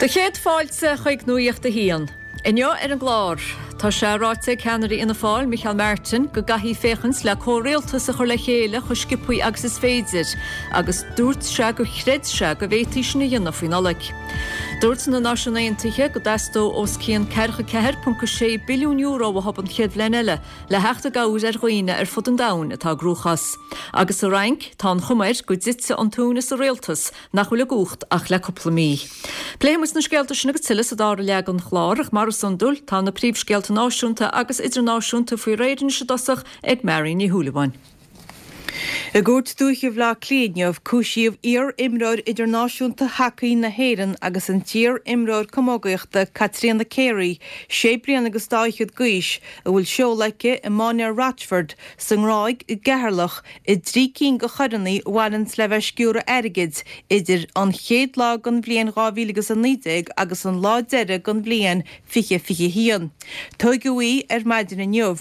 Do chéad fáilte chuig Nuacht a hAon. Inniu ar an gclár, tá sé ráite ag ceannaire Fhianna Fáil, Micheál Martin, go gcaithfí féachaint le comhrialtas a chur le chéile chomh sciobthaí agus is féidir, agus dúirt sé gur chreid sé go bhféadfaí sin a dhéanamh faoi Nollaig. Dúirt na Náisiúin Aontaithe go dteastódh os cionn €44.6 billiún uathu an chéad bhliain eile le theacht i gcabhair ar dhaoine ar fud an domhain atá i gcruachás. Agus sa Fhrainc, tá an chuma air go dtitfidh an tóin as an rialtas nach bhfuil i gcumhacht ach le cúpla mí. Pléifidh muid na scéalta sin agus tuilleadh sa dara leath den chlár ach mar is iondúil, tá na príomhscéalta náisiúnta agus idirnáisiúnta faoi réir anois i dtosach ag Marion Ní Shúilleabháin. I gCúirt Dúiche Bhaile Átha Cliath inniu, cúisíodh iar-imreoir idirnáisiúnta hacaí na hÉireann agus an t-iar-imreoir camógaíochta Caitríona Carey, sé bliana agus dá fhichead d'aois, a bhfuil seoladh aici i Mainéar Rochford sa nGráig i gCeatharlach, i dtrí cinn de choireanna a bhaineanns le bheith ag sciúradh airgid idir an chéad lá den bhliain 2019 agus an lá deiridh den bhliain 2021. Tóigeadh í ar maidin inniu.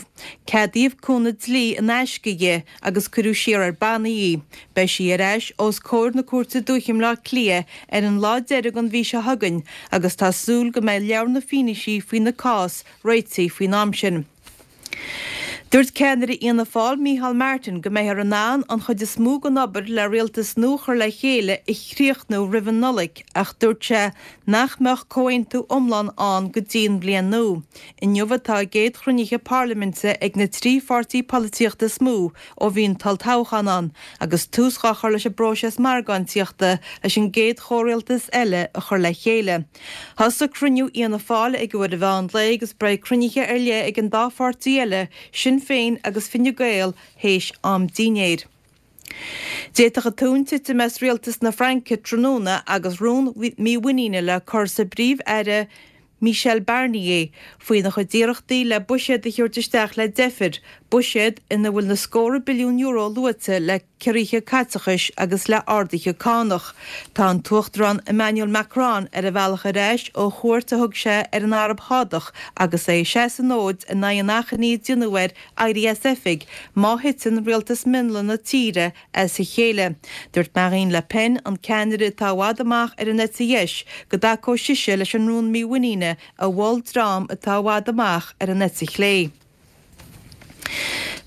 Ceadaíodh cúnamh dlí in aisce di agus cuireadh siar ar bannaí í. Beidh sí ar ais os comhair na Cúirte Dúiche i mBleá Cliath ar an lá deiridh den mhí seo chugainn agus tá súil go mbeidh leabhar na bhfianaisí faoina cás réitithe faoin am sin. Dúirt ceannaire Fhianna Fáil, Micheál Martin, go mbeifear in ann an chuid is mó den obair le rialtas nua a chur le chéile a chríochnú roimh an Nollaig ach dúirt sé nach mbeadh comhaontú iomlán ann go dtí an bhliain nua. Inniu atá a gcéad chruinnithe parlaiminte ag na trí pháirtí polaitíochta is mó ó bhí an t-olltoghchán ann agus tús dhá chur leis an bpróiseas margáintíochta leis an gcéad chomhrialtas eile a chur le chéile. Thosaigh cruinniú Fhianna Fáil ag uair an mheán lae agus beidh cruinnithe ar leith ag an dá pháirtí eile, Sinn Féin agus Fine Gael, théis am dinnéir. D'fhéadfadh an tóin titim as rialtas na Fraince tráthnóna agus rún mímhuiníne le cur sa bPríomh-Aire Michel Barnier faoina chuid iarrachtaí le buiséad a thabhairt isteach le deifir, buiséad ina bhfuil na scórtha billiún euro luaite le ciorruithe caiteachais agus le arduithe cánach. Tá an tUachtarán Emmanuel Macron ar a bhealach ar ais ó chuairt a thug sé ar an Araib Shádach agus é ag seasamh an fhóid in aghaidh an achainí a déanadh air éirí as oifig má thiteann rialtas mionlaigh na tíre as a chéile. Dúirt Marine Le Pen, an ceannaire atá i bhfad amach ar an eite dheis, go dtacódh sise leis an rún mímhuiníne a mhol dream atá i bhfad amach ar an eite chlé.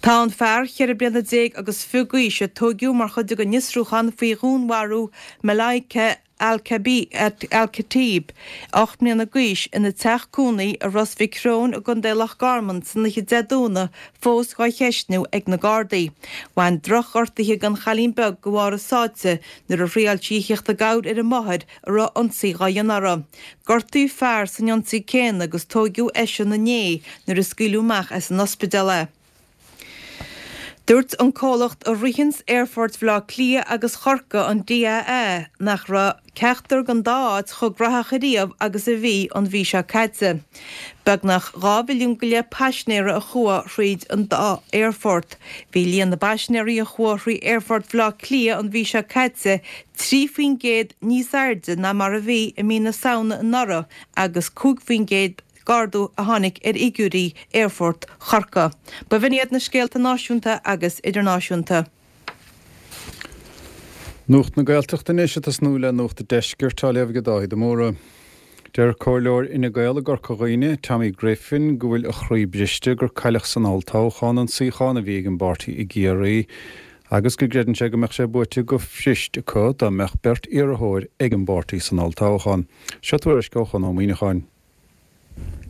Tá an fear cheithre bliana déag agus fiche d'aois a tóigeadh mar chuid den fhiosrúchán faoi dhúnmharú Malaika Al-Khatib, 8 mbliana d'aois, ina teach cónaí i Ros Mhic Thriúin i gContae Loch Garman san oíche Dé Domhnaigh fós dhá cheistniú ag na Gardaí. Bhain drochghortuithe don chailín beag de bharr a sáite nuair a thriáil sí a theacht i gcabhair ar a máthair a raibh ionsaí dhá dhéanamh uirthi. Gortaíodh fear san ionsaí céanna agus tóigeadh eisean inné nuair a scaoileadh amach as an ospidéal é. Dúirt an comhlacht a ritheanns aerfoirt Bhaile Átha Cliath agus Chorcaí, an DAA, nach raibh ceachtar den dá áit chomh graitheach ariamh agus a bhí an mhí seo caite. Beagnach 2 mhilliún go leith paisinéara a chuaigh thríd an dá aerfort. Bhí líon na bpaisinéirí a chuaigh thrí aerfort Bhaile Átha Cliath an mhí seo caite 3% níos airde ná mar a bhí i mí na Samhna anuraidh agus 5% d'ardú a tháinig ar fhigiúirí Aerfort Chorcaí. B'in iad na scéalta náisiúnta agus idirnáisiúnta. Nuacht na Gaeltachta anois ag tosnú le Nuacht an Deiscirt á léamh ag Dáithí de Mórdha. Deir Comhairleoir Fhine Gael i gCorca Dhuibhne, Tommy Griffin, go bhfuil a chroí briste gur cailleadh san olltoghchán an suíochán a bhí ag an bpáirtí i gCiarraí agus go gcreideann sé go mbeadh sé buaite go fuirist acu dá mbeadh beirt iarrthóir ag an bpáirtí san olltoghchán. Seo tuairisc ó Chonn Ó Muíneacháin.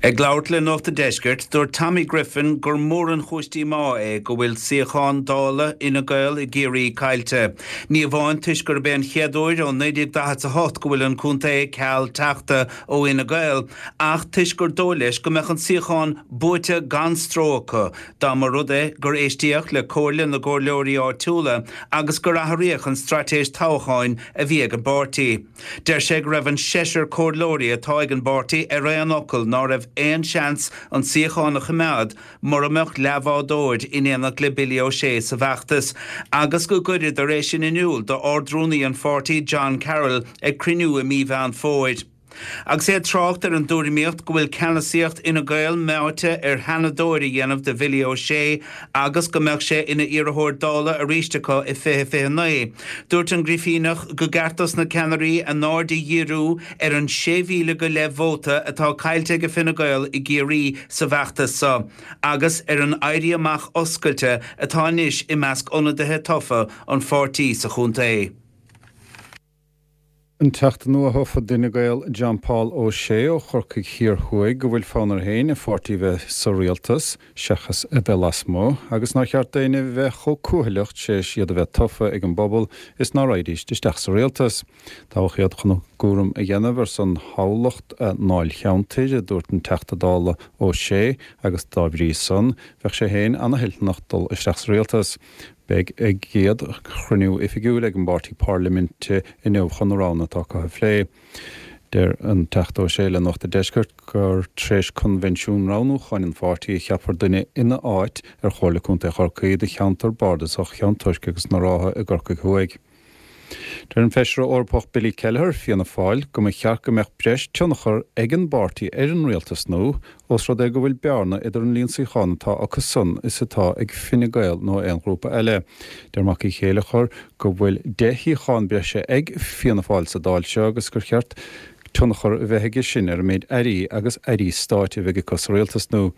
Ag labhairt le Nuacht an Deiscirt, dúirt Tommy Griffin gur mór an chúis díomá é go bhfuil suíochán Dála Fhine Gael i gCiarraí caillte. Ní amháin toisc gurb é an chéad uair ó 1948 go bhfuil an contae ceal teachta ó Fhine Gael, ach toisc gur dóigh leis go mbeadh an suíochán buaite gan stró acu dá mba rud é gur éistíodh le comhairle na gcomhairleoirí áitiúla agus gur athraíodh an straitéis toghcháin a bhí ag an bpáirtí. Deir sé go raibh an seisear comhairleoirí atá ag an bpáirtí ar aon fhocal ná raibh aon seans an suíochán a choimeád mura mbeadh leathbhádóir in éineacht le Billy O'Shea sa bhfeachtas agus go gcuireadar é sin in iúl d'Ard-Rúnaí an pháirtí John Carroll ag cruinniú i mí Mheán Fómhair. Agus é ag trácht ar an dtuairimíocht go bhfuil ceannasaíocht Fhine Gael meáite ar sheanadóir a dhéanamh de Bhilly Ó Sé agus go mbeadh sé ina iarrthóir Dála arís acu i 2029, dúirt an Grifíneach go gceart dos na ceannairí a n-aird a dhíriú ar an 6,000 go leith vóta atá caillte ag Fine Gael i gCiarraí sa bhfeachtas seo agus ar an éirí amach oscailte atá anois i measc ionadaithe tofa an pháirtí sa chontae. An Teachta nua-thofa d'Fhine Gael John Paul Ó Sé ó Chorcaigh Thiar Thuaidh go bhfuil fonn air féin a pháirtí bheith sa rialtas seachas a bheith lasmuigh agus nár cheart d'éinne bheith chomh cúthaileach tar éis iad a bheith tofa ag an bpobal is ná raghaidíst isteach sa rialtas. Toghadh iad chun a gcúram a dhéanamh ar son thoghlach a ndáilcheantair, a dúirt an Teachta Dála Ó Sé agus dá bhrí san bheadh sé féin ana-thoilteanach dul isteach sa rialtas. Beidh a gcéad chruinniú oifigiúil ag an bpáirtí parlaiminte inniu chun na roghanna atá acu a phlé. Deir an Teachta Ó Sé le Nuacht a' Deiscirt gur tar éis coinbhinsiún roghnúcháin an pháirtí a cheapfar duine ina áit ar Chomhairle Contae Chorcaí do cheantar bardasach Cheann Toisc agus na Rátha i gCorcaigh Thuaidh. Deir an Feisire Eorpach Billy Kelleher, Fianna Fáil, go mba cheart go mbeadh breis tionchar ag an bpáirtí ar an rialtas nua, ós rud é go bhfuil bearna idir an líon suíochán atá acu san is atá ag Fine Gael nó aon ghrúpa eile. Deir Mac Uí Chéilleachair go bhfuil 10 shuíochán breise ag Fianna Fáil sa Dáil seo agus gur cheart tionchar a bheith aige sin ar an méid airí agus airí stáit a bheidh acu sa rialtas nua.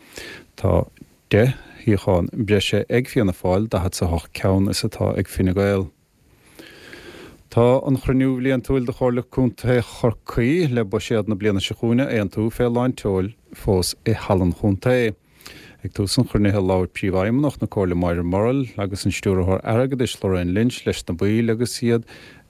Tá 10 shuíochán breise ag Fianna Fáil, 48 ceann is atá ag Fine Gael. Tá an chruinniú bhliantúil de Chomhairle Contae Chorcaí le buiséad na bliana seo chugainn a aontú fé lán tseoil fós i Halla an Chontae. Ag tús an chruinnithe labhair Príomhfheidhmeannach na Comhairle Máire Murrell agus an Stiúrthóir Airgeadais Lorraine Lynch leis na baill agus iad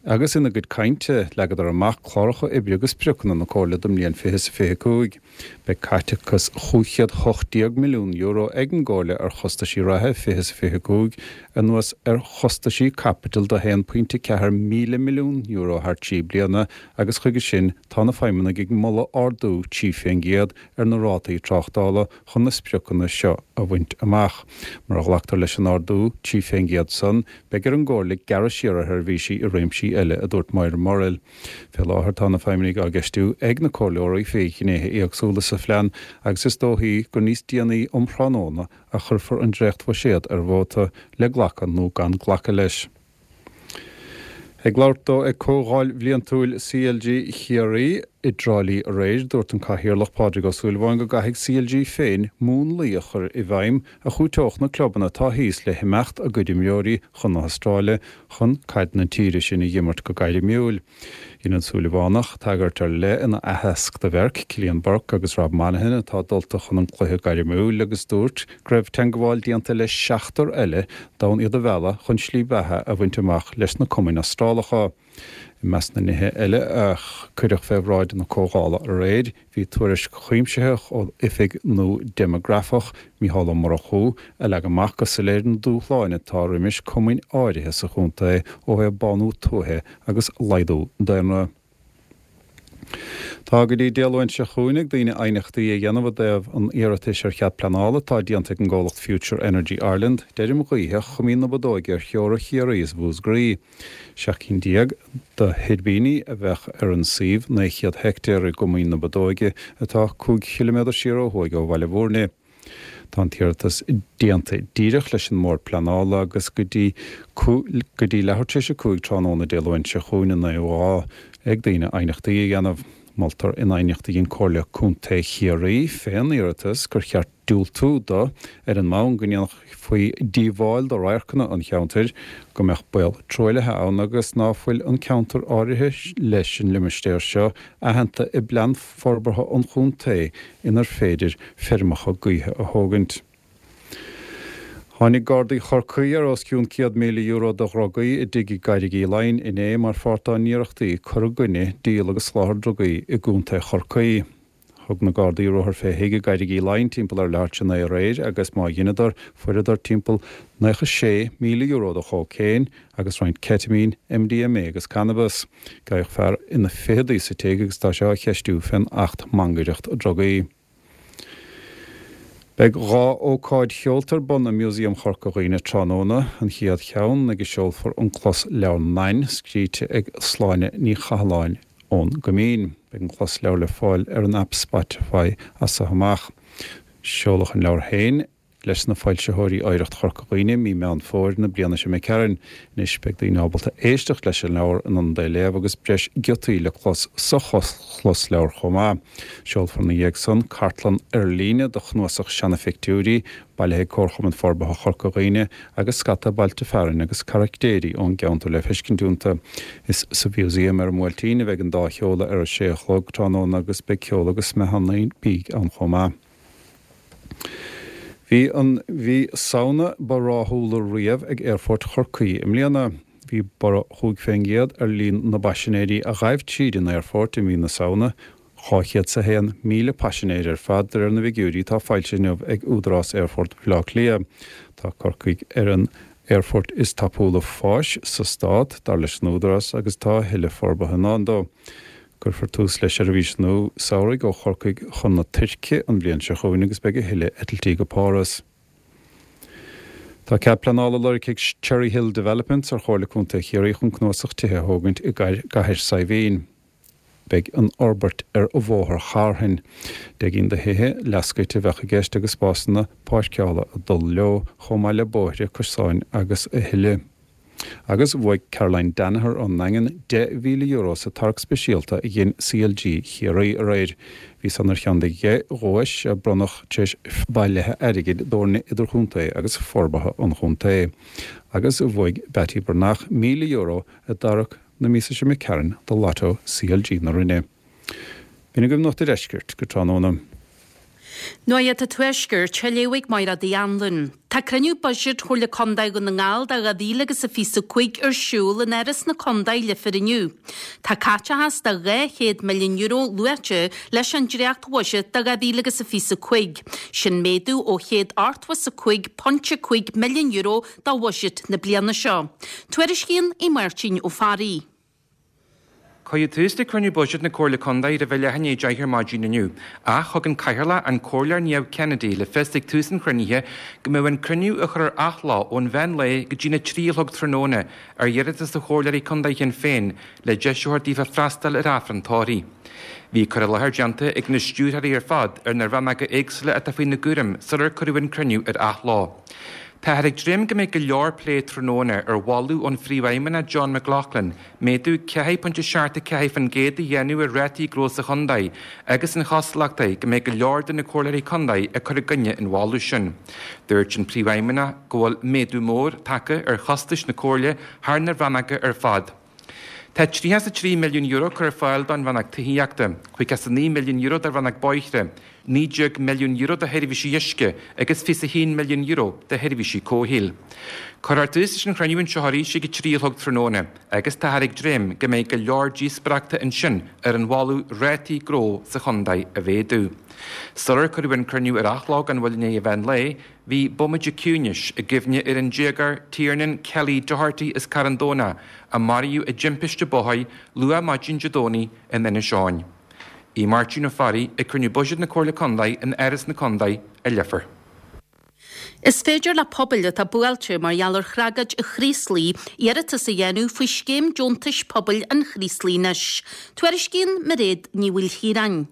agus ina gcuid cainte leagadar amach cláracha oibre agus spriocanna na Comhairle don mbliain 2025. Beidh caiteachas €518 milliún ag an gComhairle ar chostaisí reatha 2025, anuas ar chostaisí caipitil de €1.4 míle milliún thar 3 bliana agus chuige sin tá na feidhmeannaigh ag moladh ardú 3% ar na rátaí tráchtála chun na spriocanna seo a bhaint amach. Mura ghlactar leis an ardú 3% san, beidh ar an gComhairle gearradh siar ar sheirbhísí i réimsí eile, a dúirt Máire Murrell. Fé láthair tá na feidhmeannaigh á gceistiú ag na comhairleoirí fé ghnéithe éagsúla sa phlean agus is dóichí gur níos déanaí um thráthnóna a chuirfear an dréachtbhuiséad ar vóta le glacadh nó gan glacadh leis. Ag labhairt dó ag Comhdháil Bhliantúil CLG Chiarraí i dTrá Lí aréir, dúirt an Cathaoirleach Pádraig Ó Súilleabháin go gcaithfidh CLG féin múnlaí a chur i bhfeidhm a chúiteodh na clubanna atá thíos le himeacht a gcuid imreoirí chun na hAstráile chun caid na tíre sin a dh'imirt go gairmiúil. Dhein an Súilleabhánach tagairt ar leith ina aitheasc do bheirt, Cillian Burke agus Rob Monaghan, atá dulta chun an cluiche gairmiúil agus dúirt go raibh teangabháil déanta le seachtar eile d'fhonn iad a mhealladh chun slí bheatha a bhaint amach leis na cumainn Astrálacha. I measc na nithe eile a cuireadh fé bhráid na comhdhála aréir, bhí tuairisc chuimsitheach ó Oifig nua Déimeagrafach, Mícheál Ó Murchú, a leag amach go soiléir na dúshláin atá roimis cumainn áirithe sa chontae ó thaobh bánú tuaithe agus laghdú daonra. Tá go dtí Dé Luain seo chugainn ag daoine aighneachtaí a dhéanamh i dtaobh an iarratais ar chead pleanála atá déanta ag an gcomhlacht Future Energy Ireland d'fheirm ghaoithe Choimín na Bodóige ar theora Chiarraí is Mhúscraí. 17 cinn de thuirbíní a bheadh ar an suíomh 900 heictéar i gCoimín na Bodóige atá 5 chiliméadar siar ó thuaidh ó Bhaile Bhúirne. Tá an t-iarratas déanta díreach leis an mBord Pleanála agus go dtí go dtí leathuair tar éis 5 tráthnóna Dé Luain seo chugainn an naoú lá ag daoine aighneachtaí a dhéanamh. Moltar in aighneacht a dhein Comhairle Contae Chiarraí fén iarratas gur cheart diúltú do ar an mbonn go ndéanfaí díobháil do radharcanna an cheantair, go mbeadh baol truaillithe ann agus ná fuil an ceantar áirithe leis an limistéar seo aitheanta i bplean forbartha an chontae inar féidir feirmeacha gaoithe a thógaint. Tháinig Gardaí Chorcaí ar os cionn €100,000 de dhrugaí i dtigh i gCarraig Uí Leighin inné mar pháirt dá n-iarrachtaí cur i gcoinne díol agus soláthar drugaí i gContae Chorcaí. Thug na Gardaí ruathar fé thigh i gCarraig Uí Leighin timpeall ar leathuair tar éis a 9 aréir agus má dheineadar, fuaireadar timpeall €96,000 de chócaon agus roinnt ceitimín, MDMA agus cannabas. Gabhadh fear ina ficheadaí sa tigh agus tá sé á cheistiú fén Acht Mangaireacht Drugaí. Beidh dhá ócáid cheolta ar bun i Músaem Chorca Dhuibhne tráthnóna, an chéad cheann ag a seolfar an closleabhar Nain, scríte ag Sláine Ní Chathalláin ón gCoimín. Beidh an closleabhar le fáil ar an aip Spotify as so amach. Seoladh an leabhar féin leis na foilsitheoirí Oidhreacht Chorca Dhuibhne mí Meán Fómhair na bliana seo imigh tharainn. Anois beidh daoine ábalta éisteacht leis an leabhar in ionad é a léamh agus breis giotaí le clos sa chlosleabhar chomh maith. Seolfar ina dhiaidh san cartlann ar líne de chnuasach seana-phictiúirí, bailithe ag Comharchumann Forbartha Chorca Dhuibhne agus scata bailte fearainn agus caraictéirí ón gceantar le feiscint iontu. Is sa Mhúsaem ar an mBuailtín a bheidh an dá sheoladh ar a sé a chlog tráthnóna agus beidh ceol agus smeathanna bídh ann chomh maith. Bhí an mhí Samhna ba ráthúla riamh ag Aerfort Chorcaí i mbliana. Bhí borradh 5% ar líon na bpaisinéirí a ghaibh tríd an aerfort i mí na Samhna, 201,000 paisinéir ar fad, de réir na bhfigiúirí atá foilsithe inniu ag Údarás Aerfort Bhaile Átha Cliath. Tá Corcaigh ar an aerfort is tapúla fáis sa stát, dar leis an Údarás, agus tá a thuilleadh forbartha i ndán dó. Cuirfear tús le seirbhís nua samhraidh ó Chorcaigh chun na Tuirce an bhliain seo chugainn agus beidh a thuilleadh eitiltí go Páras. Tá cead pleanála lorgtha ag Cherry Hill Developments ar Chomhairle Contae Chiarraí chun cnuasach tithe a thógaint i gCathair Saidhbhín. Beidh an fhorbairt ar Bhóthar Charthain. 10 gcinn de thithe leathscoite a bheadh i gceist agus spásanna páirceála ag dul leo, chomh maith le bóithre, cosáin agus a thuilleadh. Agus bhuaigh Caroline Danaher ón nDaingean €10,000 sa tarrac speisialta a dhein CLG Chiarraí aréir. Bhí san ar cheann de dheich dhuais a bronnadh tar éis bailithe airgid d'fhoirne idirchontae agus forbartha an chontae. Agus bhuaigh Beattie Breathnach €1,000 i dtarrac na míosa seo imigh tharainn do Lotto CLG na Rinne. B'in agaibh Nuacht a' Deiscirt go tráthnóna. Nuacht an Tuaiscirt á léamh ag Mairéad Uí Anluain. Tá cruinniú buiséid Chomhairle Contae Dhún na nGall do 2025 ar siúl in Áras na Contae, Leifear inniu. Tá caiteachas de €200 milliún luaite leis an dréacht-bhuiséad do 2025. Sin méadú ó €185.5 milliún do bhuiséad na bliana seo. Tuairiscíonn Aodh Máirtín Ó Fearraigh. Cuireadh tús le cruinniú buiséid na Comhairle Contae roimh a leath i ndiaidh a 10 ar maidin inniu, ach thug an Cathaoirleach, an Comhairleoir Niamh Kennedy, le fios ag tús an chruinnithe go mbeadh an cruinniú á chur ar athló ón mheán lae go dtína 3 a chlog tráthnóna ar iarratas ó Chomhairleoirí Contae Shinn Féin le deis a thabhairt daofa freastal ar Aifreann tórraimh. Bhí cur i láthair déanta ag na stiúrthóirí ar fad ar na rannóga éagsúla atá faoina gcúram sular cuireadh an cruinniú ar athló. Táthar ag dréim go mbeidh go leor plé tráthnóna ar mholadh ón Phríomhfheidhmeannach John McLaughlin méadú 4.74% a dhéanamh ar rátaí gnó sa chontae agus an chosúlacht é go mbeidh go leor de na comhairleoirí contae ag cur i gcoinne an mholadh sin. Dúirt an Príomhfheidhmeannach go bhfuil méadú mór tagtha ar chostais na comhairle thar na rannóga ar fad. Tá €33 milliún curtha ar fáil don Rannóg Tithíochta, €59 milliún do Rannóg Bóithre, €19 milliún do Sheirbhísí Uisce agus €21 milliún do Sheirbhísí Comhshaoil. Cuirfear tús leis an chruinniú anseo arís ag a 3 a chlog tráthnóna agus táthar ag dréim go mbeidh go leor díospóireachta ansin ar an mholadh rátaí gnó sa chontae a mhéadú. Sular cuireadh an cruinniú ar athló gan mhoill i ndiaidh an mheán lae, Bhí bomaite ciúnais i gcuimhne ar an déagóir Tiernan Kelly Doherty as Carn Domhnach a maraíodh i dtimpiste bóthair luath maidin Dé Domhnaigh in Inis Eoghain. Aodh Máirtín Ó Fearraigh ag cruinniú buiséid na Comhairle Contae in Áras na Contae i Leifear. Is féidir le pobail atá buailte mar gheall ar thragóid an Chraoslaigh iarratas a dhéanamh faoi Scéim Deontais Pobail an Chraoslaigh anois. Tuairiscíonn Mairéad Ní Mhaoilchiaráin.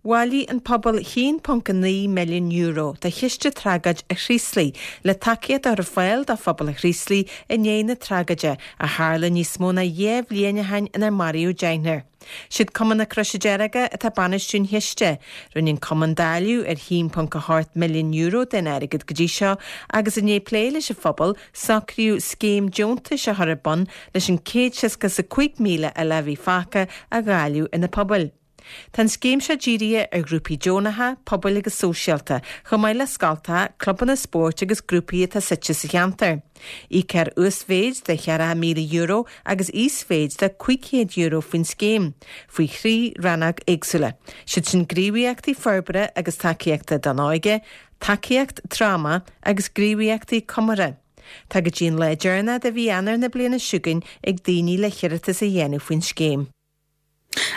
Bhailigh an pobal €1.9 milliún do Chiste Tragóid an Chraoslaigh le tacaíocht a chur ar fáil do phobal an Chraoslaigh i ndiaidh na tragóide a tharla níos mó ná 2 bhliain ó shin inar maraíodh deichniúr. Siad Cumann na Croise Deirge atá ag bainistiú an chiste. Rinne an Cumann dáileadh ar €1.8 milliún den airgead go dtí seo agus i ndiaidh plé leis an phobal, socraíodh scéim deontais a chur ar bun leis an 165,000 eile a bhí fágtha a dháileadh ar na pobail. Tá an scéim seo dírithe ar ghrúpaí deonacha, pobail agus sóisialta, chomh maith le scoltacha, clubanna spóirt agus grúpaí atá suite sa cheantar. Íocfar uasmhéid de €40,000 agus íosmhéid de €500 faoin scéim, faoi thrí rannóg éagsúla, siad sin gníomhaíochtaí forbartha agus tacaíochta don óige, tacaíocht tráma agus gníomhaíochtaí comórtha. Tá go dtí an lá deireanach de mhí Eanáir na bliana seo chugainn ag daoine le hiarratas a dhéanamh faoin scéim.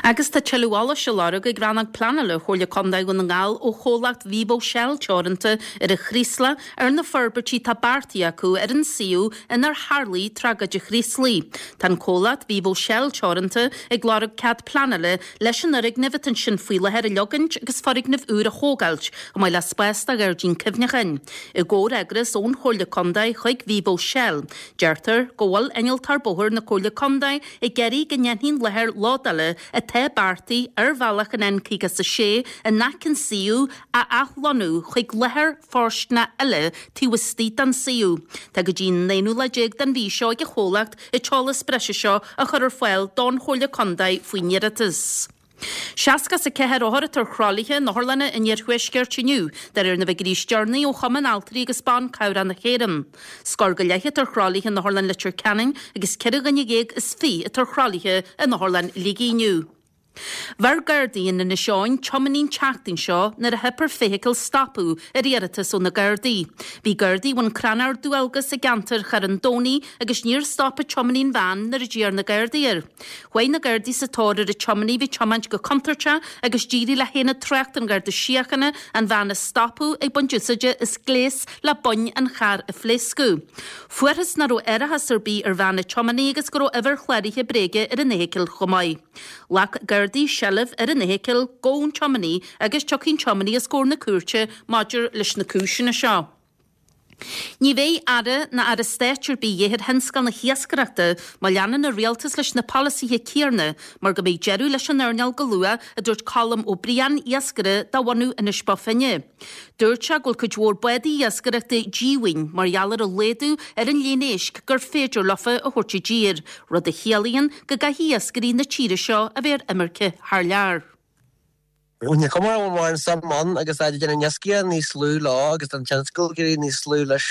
Agus tá tuilleadh eolais á lorg ag Rannóg Pleanála Chomhairle Contae Dhún na nGall ó chomhlacht Vivo Shell Teoranta ar an Chraoslach ar na forbairtí atá beartaithe acu ar an suíomh inar tharlaigh tragóid an Chraoslaigh. Tá an comhlacht Vivo Shell Teoranta ag lorg cead pleanála leis an fhoirgneamh atá ansin faoi láthair a leogaint agus foirgneamh úr a thógáilt, chomh maith le spás do ghairdín cuimhneacháin. I gcomhfhreagras ón Chomhairle Contae chuig Vivo Shell, deirtear go bhfuil Innealtóir Bóthair na Comhairle Contae ag iarraidh go ndéanfaí an láthair lódála atá beartaithe ar bhealach an N56 in aice an suíomh a athlonnú chuig láthair fóirsteanach eile taobh istigh den suíomh. Tá go dtí an aonú lá déag den mhí seo ag an chomhlacht an t-eolas breise seo a chur ar fáil don Chomhairle Contae faoin iarratas. 64 othar atá ar thralaithe in otharlanna an iarthuaiscirt inniu, de réir na bhfigiúirí is deireanaí ó Chumann Altraí agus Ban Cabhrach na hÉireann. Scór go leith atá ar thralaithe in Otharlann Leitir Ceanainn agus 24 dhuine atá ar thralaithe in Otharlann Shligigh inniu. Bheir Gardaí in Inis Eoghain tiománaí an tseachtain seo nuair a theip ar feithicil stopadh ar iarratas ó na Gardaí. Bhí Gardaí i mbun crannchur dualgas i gceantar Charn Domhnaigh agus níor stop an tiománaí an veain nuair a d'iarr na Gardaí air. Chuaigh na Gardaí sa tóir ar an tiománaí a bhí ag tiomáint go contúirteach agus d'éirigh le hAonad Tráchta an Gharda Síochána an veain a stopadh ag baint úsáide as gléas le boinn an chairr a phléascadh. Fuarthas nach raibh árachas ar bith ar veain an tiománaí agus go raibh uimhir chláraithe bréige ar an fheithicil chomh maith. Ghlac Gardaí seilbh ar an fheithicil, gabhadh an tiománaí agus tiocfaidh an tiománaí os comhair na cúirte maidir leis na cúiseanna seo. Ní bheidh Aire ná Aire Stáit ar bith a dhíth ar thionscal na hiascaireachta má leanann an Rialtas leis na polasaithe céanna mar go mbeidh deireadh leis an earnáil go luath, a dúirt Colm Ó Briain, iascaire de bhunadh Inis Bó Finne. Dúirt sé go bhfuil cuid mhór bádaí iascaireachta díomhaoin mar gheall ar an laghdú ar an líon éisc gur féidir leofa a thabhairt i dtír, rud a chiallaíonn go gcaithfidh iascairí na tíre seo a bheith ar imirce thar lear. Ní cuma an bhfuil mórán suim ann agus táid ag déanamh iascaigh níos lú leo agus tá an tionscal ag éirí níos lú leis.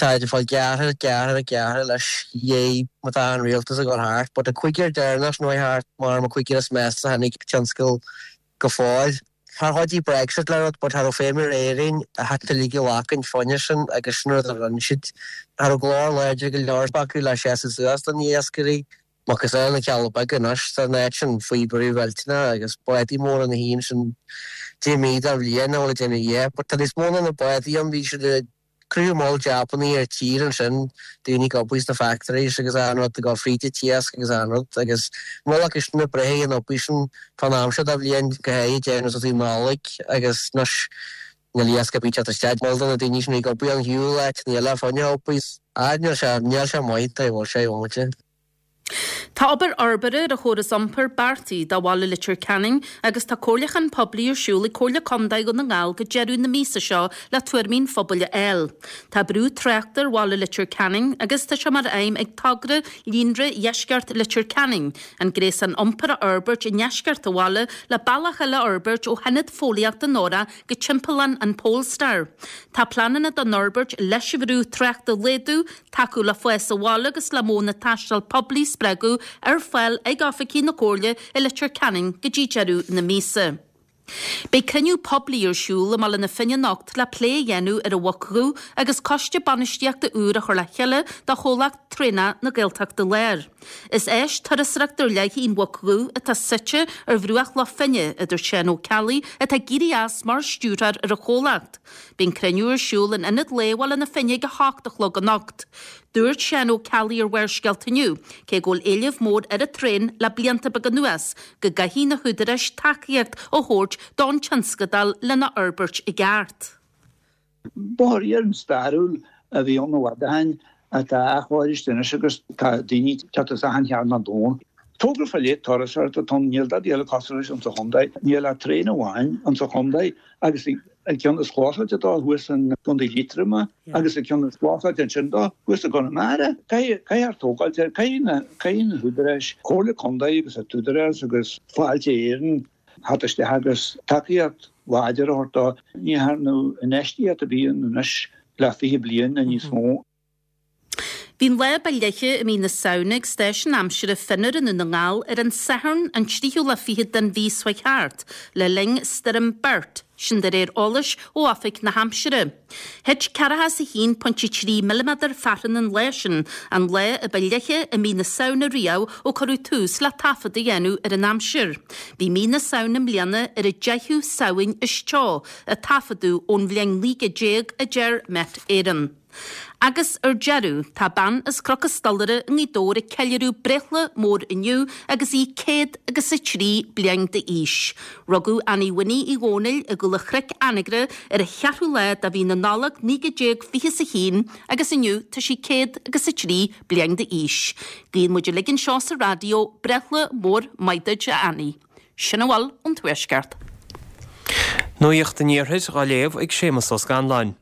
Táid ag fáil gearrtha, gearrtha, gearrtha leis dhéidh má tá an rialtas ag dul thart. But an cúigear deireanach sin a chuaigh thart mar an cúigear is measa a tháinig tionscal go fóill. Char chuidigh Brexit le rud but cha raibh feidhm ar Éirinn a theacht uilig a ghlacaint fá choinne sin agus sin rud a rinne siad. Cha raibh glór láidir go leor acu le seasamh suas do na iascairí. Macasamhail na Cealla Beaga anois, tá an áit sin faoi bhrú mhillteanach agus bádaí móra na hÉireann sin 10 mí den bhliain nach bhfuil ag déanamh a dhath. But tá níos mó ná na bádaí ann, bhí siad ag cruthú moll jabannaí ar tír ansin, daoine ag obair sna factories agus achan rud ag dul fríd an t-iasc agus achan rud agus moll acu sin ag breith an obair sin fán am seo de bhliain go háirithe déanamh sa Nollaig agus anois níl iasc ar bith ag teacht isteach. Moll de na daoine sin ag obair an shiúl áiteanna eile fá choinne obair. Ah níl sé, níl sé maith, tá bhfuil sé, bhomaite. Tá obair fhorbartha ar an chóras iompair beartaithe do bhaile Leitir Ceanainn agus tá comhairliúchán poiblí ar siúl ag Comhairle Contae Dhún na nGall go deireadh na míosa seo le tuairimí an phobail a fháil. Tá brú tráchta ar bhaile Leitir Ceanainn agus tá sé mar aidhm ag togra Líonra Dheisceart Leitir Ceanainn an gréasán iompair a fhorbairt i ndeisceart an bhaile le bealach eile a fhorbairt ó hIonad Fóillíochta Nóra go timpeallán an Polestar. Tá pleananna don fhorbairt leis an bhrú tráchta a laghdú, tacú le fás an bhaile agus le modhanna taistil poiblí a spreagadh ar fáil ag oifigí na Comhairle i Leitir Ceanainn go dtí deireadh na míosa. Beidh cruinniú poiblí ar siúl i mBaile na Finne anocht le plé a dhéanamh ar an Mhuc Dhubh agus coiste bainistíochta úr a chur le chéile do chomhlacht traenach na Gaeltachta Láir. Is áis turasóireachta ar leith í an Mhuc Dhubh atá suite ar bhruach Loch Finne, a dúirt Seán Ó Ceallaigh atá ag éirí as mar stiúrthóir ar an chomhlacht. Beidh an cruinniú ar siúl in Ionad Lae Bhaile na Finne ag 8 a chlog anocht. Dúirt Seán Ó Ceallaigh ar Bharrscéalta inniu, cé go bhfuil éileamh mór ar an traein le blianta beaga anuas, go gcaithfidh na húdaráis tacaíocht a thabhairt don tionscadal lena fhorbairt i gceart. Bóthar iarainn stairiúil a bhí ann i bhfad ó shin atá athchóirithe anois agus tá daoine ag teacht as achan chearn den domhan. Togra fá leith turasóireachta atá ann, níl dadaí eile cosúil leis insa chontae. Níl ach traein amháin insa chontae agus an ceann is clósáilte dó thuas in gContae Liatroma agus an ceann is clósáilte ansin dó thuas i gConamara. Caithfear tógáilt air, caithfidh na húdaráis, Comhairle Contae agus an tÚdarás agus Fáilte Éireann theacht isteach agus tacaíocht láidir a thabhairt dó. Ní dhearnadh infheistíocht ar bith ann anois le 20 bliain nó níos mó. Bhí an lá ba fhliche i mí na Samhna ag stáisiún aimsire Fionnúr i nDún na nGall ar an Satharn an tríú lá fichead den mhí seo thart le linn Stoirm Bert, sin de réir eolais ó Oifig na hAimsire. Thit 41.3 milliméadar fearthann an lá sin, an lá a ba fhliche i mí na Samhna riamh ó cuireadh tús le taifead a dhéanamh ar an aimsir. Bhí mí na Samhna i mbliana ar an deichiú Samhain is teo a taifeadadh ón bhliain 1900, a deir Met Éireann. Agus ar deireadh, tá bean as Cnoc an Stolaire i nGaoth Dobhair ag ceiliúradh breithlá mór inniu agus í céad agus a trí bliain d'aois. Rugadh Annie Winnie Uí Dhónaill i gCúl a' Chnoic, Anagaire ar an cheathrú lá de mhí na Nollag 1921 agus inniu tá sí céad agus a trí bliain d'aois. Guíonn muid uilig anseo sa raidió breithlá mór maith duit a Annie. Sin a bhfuil ón Tuaisceart. Nuacht an Iarthair dhá léamh ag Séamus Ó Scanláin.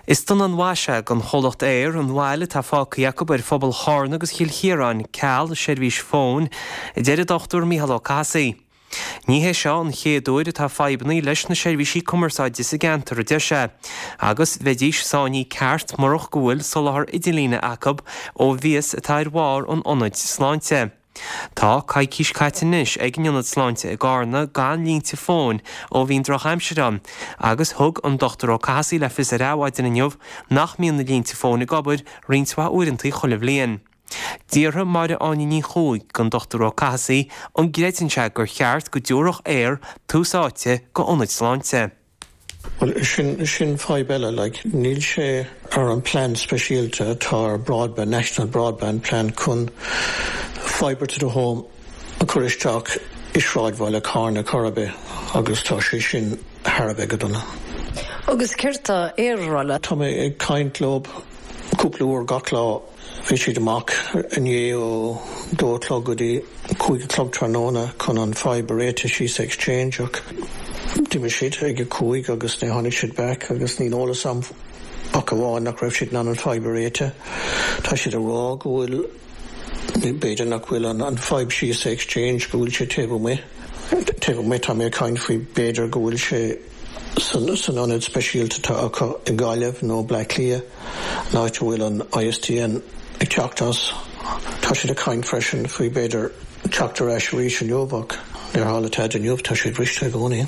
Is dona an mhaise don chomhlacht Eir an mhoill atá fágtha acu ar phobal Charna agus Chill Chiaráin ceal seirbhís fóin, a deir an Dr Mícheál Ó Cathasaigh. Ní hé seo an chéad uair atá fadhbanna leis na seirbhísí cumarsáide sa gceantar, a deir sé, agus bheidís sáinnithe ceart murach go bhfuil soláthar idirlíne acu ó mhias atá ar bharr an ionaid sláinte. Tá coicís caite anois ag an Ionad Sláinte i gCarna gan línte fóin ó bhí an drochaimsir ann agus thug an Dr Ó Cathasaigh le fios ar Adhmhaidin inniu nach mbíonn na línte fóin ag obair roinnt mhaith uaireanta chuile bhliain. D'fhiafraigh Máire Áine Ní Chuaig den Dr Ó Cathasaigh an gcreideann sé gur cheart go dtabharfadh Eir tús áite go ionaid sláinte. Bhuel, sin, sin fadhb eile, like, níl sé ar an plean speisialta atá ar broadband, National Broadband Plan chun fibre to the home a chur isteach i sráidbhaile Carna chor ar bith agus tá sé sin thar a bheith go dona. Agus céard tá Eir a rá leat? Tá mé ag caint leo cúpla uair gach lá. Bhí siad amach inné ó dó a chlog go dtí cúig a chlog tráthnóna chun an fadhb a réiteach síos sa Exchange ach d'imigh siad ag a cúig agus ní tháinig siad back agus níl eolas a'm ach amháin nach raibh siad in ann an fadhb a réiteach. Tá siad ag rá go bhfuil, b'fhéidir nach bhfuil an fadhb síos sa Exchange, go bhfuil sé taobh amuigh. Taobh amuigh, tá mé ag caint faoi b'fhéidir go bhfuil sé san ionad speisialta atá acu i Gaillimh nó Bleá Cliath. an áit a bhfuil an ISDN ag teacht as. Tá siad ag caint freisin faoi b'fhéidir teacht ar ais arís inniu ach níor tharla tada inniu, tá siad briste i gcónaí.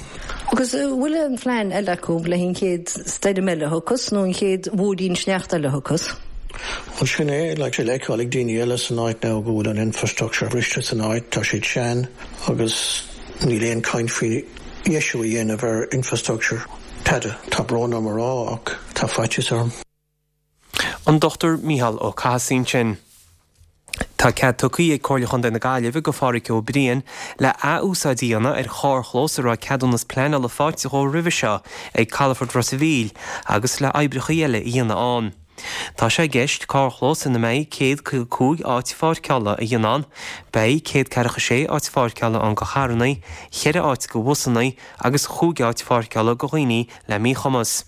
Agus an bhfuil aon phlean eile acu le an chéad stoirm eile a thiocfas nó an chéad mhúirín sneachta eile a thiocfas? Bhuel sin é, like, le feiceáil ag daoine eile san áit now go bhfuil an infrastructure briste san áit, tá siad sean agus níl aon caint faoi dheisiú a dhéanamh ar infrastructure. Tada. Tá brón orm a rá ach tá faitíos orm. An Dr Mícheál Ó Cathasaigh ansin. Tá cead tugtha ag Comhairle Chontae na Gaillimhe go Phádhraic Ó Briain le ath-úsáid a dhéanamh ar charrchlós a raibh ceadúnas pleanála faighte dhó roimhe seo ag Calafort Ros a' Mhíl agus le oibreacha eile a dhéanamh ann. Tá sé i gceist carrchlós ina mbeidh 155 áit pháirceála a dhéanamh ann. Beidh 146 áit pháirceála ann go charrannaí, cheithre áit go bhusannaí agus chúig áit pháirceála go dhaoine le míchumas.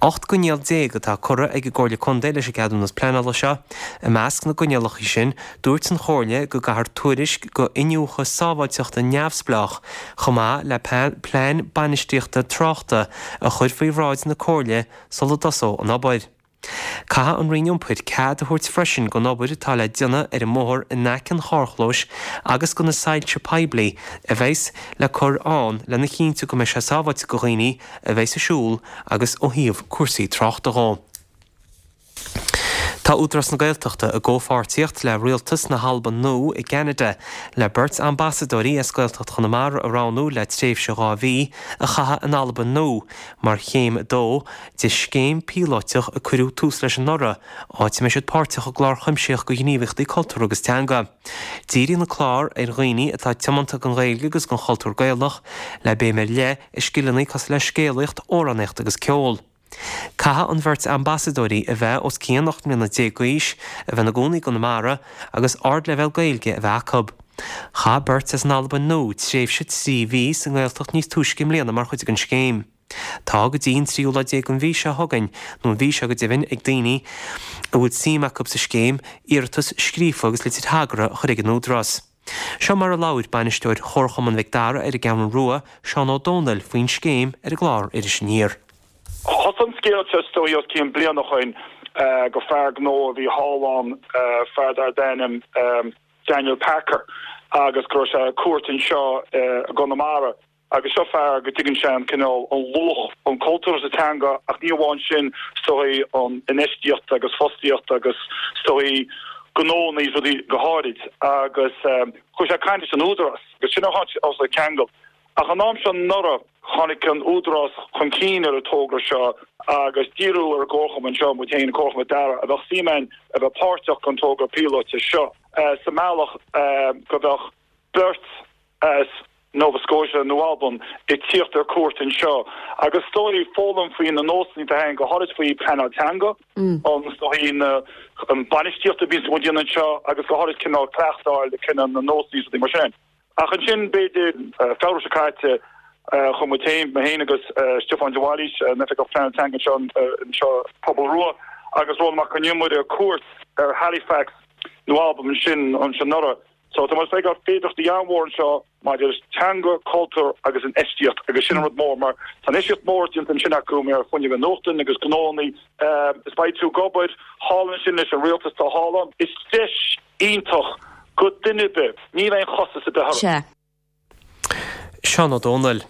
18 gcoinníoll atá curtha ag an gComhairle Contae leis an gceadúnas pleanála seo. I measc na gcoinníollacha sin, dúirt an Chomhairle go gcaithfear tuairisc go iniúchadh sábháilteachta neamhspleách chomh maith le plean bainistíochta tráchta a chur faoi bhráid na Comhairle sula dtosóidh an obair. Caithfidh an Roinn Iompair cead a thabhairt freisin don obair atá le déanamh ar an mbóthar in aice an charrchlóis agus do na soilse poiblí a bheas le cur ann lena chinntiú go mbeidh sé sábháilte do dhaoine a bheas ag siúl agus ó thaobh cúrsaí tráchta dhó. Tá Údarás na Gaeltachta i gcomhpháirtíocht le Rialtas na hAlban Nua i gCeanada le beirt ambasadóirí as Gaeltacht Chonamara a roghnú le tréimhse 2 mhí a chaitheamh in Albain Nua mar chéim 2 de scéim píolóiteach a cuireadh tús leis anuraidh, áit a mbeidh siad páirteach i gclár cuimsitheach de ghníomhaíochtaí cultúrtha agus teanga. Díríonn an clár ar dhaoine atá tiomanta don Ghaeilge agus don chultúr Gaelach, le béim ar leith i scileanna cosúil le scéalaíocht, amhránaíocht agus ceol. Caithfidh an bheirt ambasadóirí a bheith os cionn 18 mbliana d'aois, a bheith ina gcónaí i gConamara agus ardleibhéal Gaeilge a bheith acu. Chaith beirt as an Albain Nua tréimhse 3 mhí sa nGaeltacht níos túisce i mbliana mar chuid den scéim. Tá go dtí an tríú lá déag den mhí seo chugainn, nó an mhí seo go deimhin, ag daoine a bhfuil suim acu sa scéim, iarratas scríofa agus litir thagartha a chur ag an Údarás. Seo mar a labhair bainisteoir Chomharchumann Mhic Dara ar an gCeathrú Rua, Seán Ó Domhnaill, faoin scéim ar an gclár Iris Aniar. Thosaigh an scéal seo is dóigh os cionn bliain ó shoin. go fear gnó a bhí thall ann, fear darb ainm Daniel Packer agus go raibh sé ar cuairt anseo i gConamara. Agus seo fear go dtuigeann sé an cineál, an luach, an cultúr agus an teanga ach ní amháin sin, is dóigh an infheistíocht agus fostaíocht agus is dóigh gnónna is rudaí go háirid. Agus chuaigh sé ag caint leis an Údarás agus sin ar tháinig sé ag ceangal. Ach an am seo anuraidh tháinig an Údarás chun cinn ar an togra seo agus d'iarradh ar an gComharchumann anseo, muid féin, an Comharchumann Dara, a bheadh suim ann a bheith páirteach den togra píolóta seo sa mbealach go mbeadh beirt as Nova Scotia nó Albain ag tíocht ar cuairt anseo agus is dóigh foghlaim faoi na nósanna atá againn, go háirid faoi pleanáil teanga, an is dóigh na an bainistíocht a bhíonns muid a dhéanamh anseo agus go háirid cineál cleachtadh a fháil le cineál na nósanna is rudaí mar sin. Ach ansin b'fhéidir Feabhra seo caite chuaigh muid féin, mé féin agus Stiofán de Bhailís, an Oifigeach Pleanála Teanga anseo anseo Pobal Rua agus Rónán Mac Con Iomaire ar cuairt ar Halifax nó Albain ansin ansin anuraidh. So tá muid ag feiceáil féidearthachtaí an-mhór anseo maidir leis teanga, cultúr agus infheistíocht agus sin an rud mór mar tá infheistíocht mór déanta ansin acu mar fuinneamh inathnuaite agus gnónnaí is beidh tú ag obair thall ansin leis an rialtas atá thall ann. Is deis iontach go duine ar bith, níl aon chostas ar bith orthu. Sea. Seán Ó Dónaill.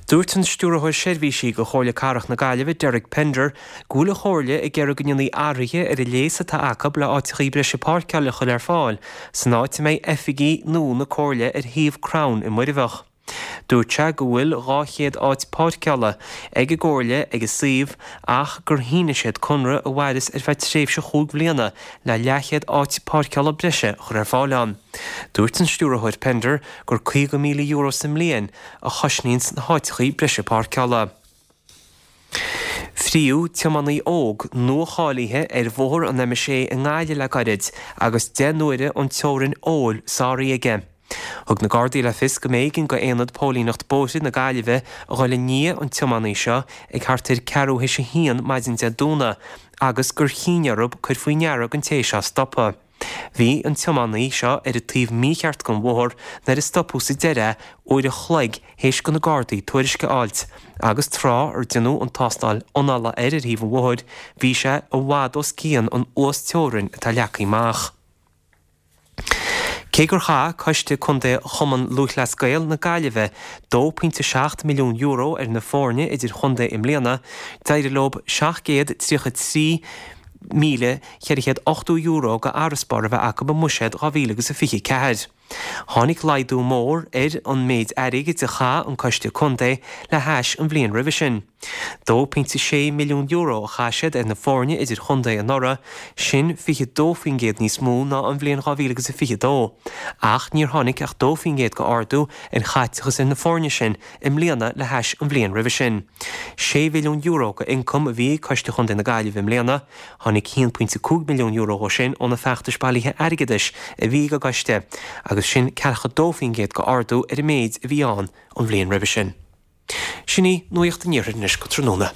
Dúirt an Stiúrthóir Seirbhísí do Chomhairle Cathrach na Gaillimhe, Derek Pender, go bhfuil an Chomhairle ag iarraidh go ndéanfaí athruithe ar an léas atá acu le áiteachaí breise páirceála a chur ar fáil san áit a mbeidh oifigí nua na Comhairle ar shuíomh crann i Muirbheach. Dúirt sé go bhfuil 200 áit páirceála ag an gComhairle ag an suíomh ach gur shínigh siad conradh a mhaireas ar feadh tréimhse chúig bhliana le leathchéad áit páirceála breise a chur ar fáil ann. Dúirt an Stiúrthóir Pender gur €50,000 sa mbliain a chosnaíonns na háiteachaí breise páirceála. Fríodh tiománaí óg nua-cháilithe ar bhóthar an M6 i nGaillimh le gairid agus 10 n-uaire an teorainn óil sáraithe aige. Thug na Gardaí le fios go mb'éigean go Aonad Póilíneacht Bóithre na Gaillimhe a dhul i ndiaidh an tiománaí seo ag thart ar ceathrú théis a haon maidin Dé Domhnaigh agus gur chinn orthu cur faoi ndeara don té seo stopadh. Bhí an tiománaí seo ar an taobh mícheart den bhóthar nuair a stopadh sa deireadh é uair a chloig théis do na Gardaí tuairisc a fháilt, agus tráth ar déanadh an tástáil anála air ar thaobh an bhóthair, bhí sé i bhfad os cionn an uas-teorainn atá leagtha amach. Cé gur chaith Coiste Contae Chumann Lúthchleas Gael na Gaillimhe €2.7 milliún ar na foirne idir-chontae i mbliana, d'éirigh leo 733 €1,480 go fharasbarr a bheith acu i mbuiséad 2024. Tháinig laghdú mór ar an méid airgid a chaith an Coiste Contae le hais an bhliain roimhe sin. €2.6 milliún a chaith siad ar na foirne idir-chontae anuraidh, sin 22% níos mó ná an bhliain 2022, ach níor tháinig ach 2% go ardú ar chaiteachas ar na foirne sin i mbliana le hais an bhliain roimhe sin. €6 mhilliún go ioncam a bhí ag Coiste Chontae na Gaillimhe i mbliana. Tháinig €1.5 milliún dhó sin ó na feachtais bailithe airgeadais a bhí ag an gcoiste, agus sin ceathracha 2% go ardú ar an méid a bhí ann an bhliain roimhe sin. Sin í Nuacht an Iarthair anois go tráthnóna.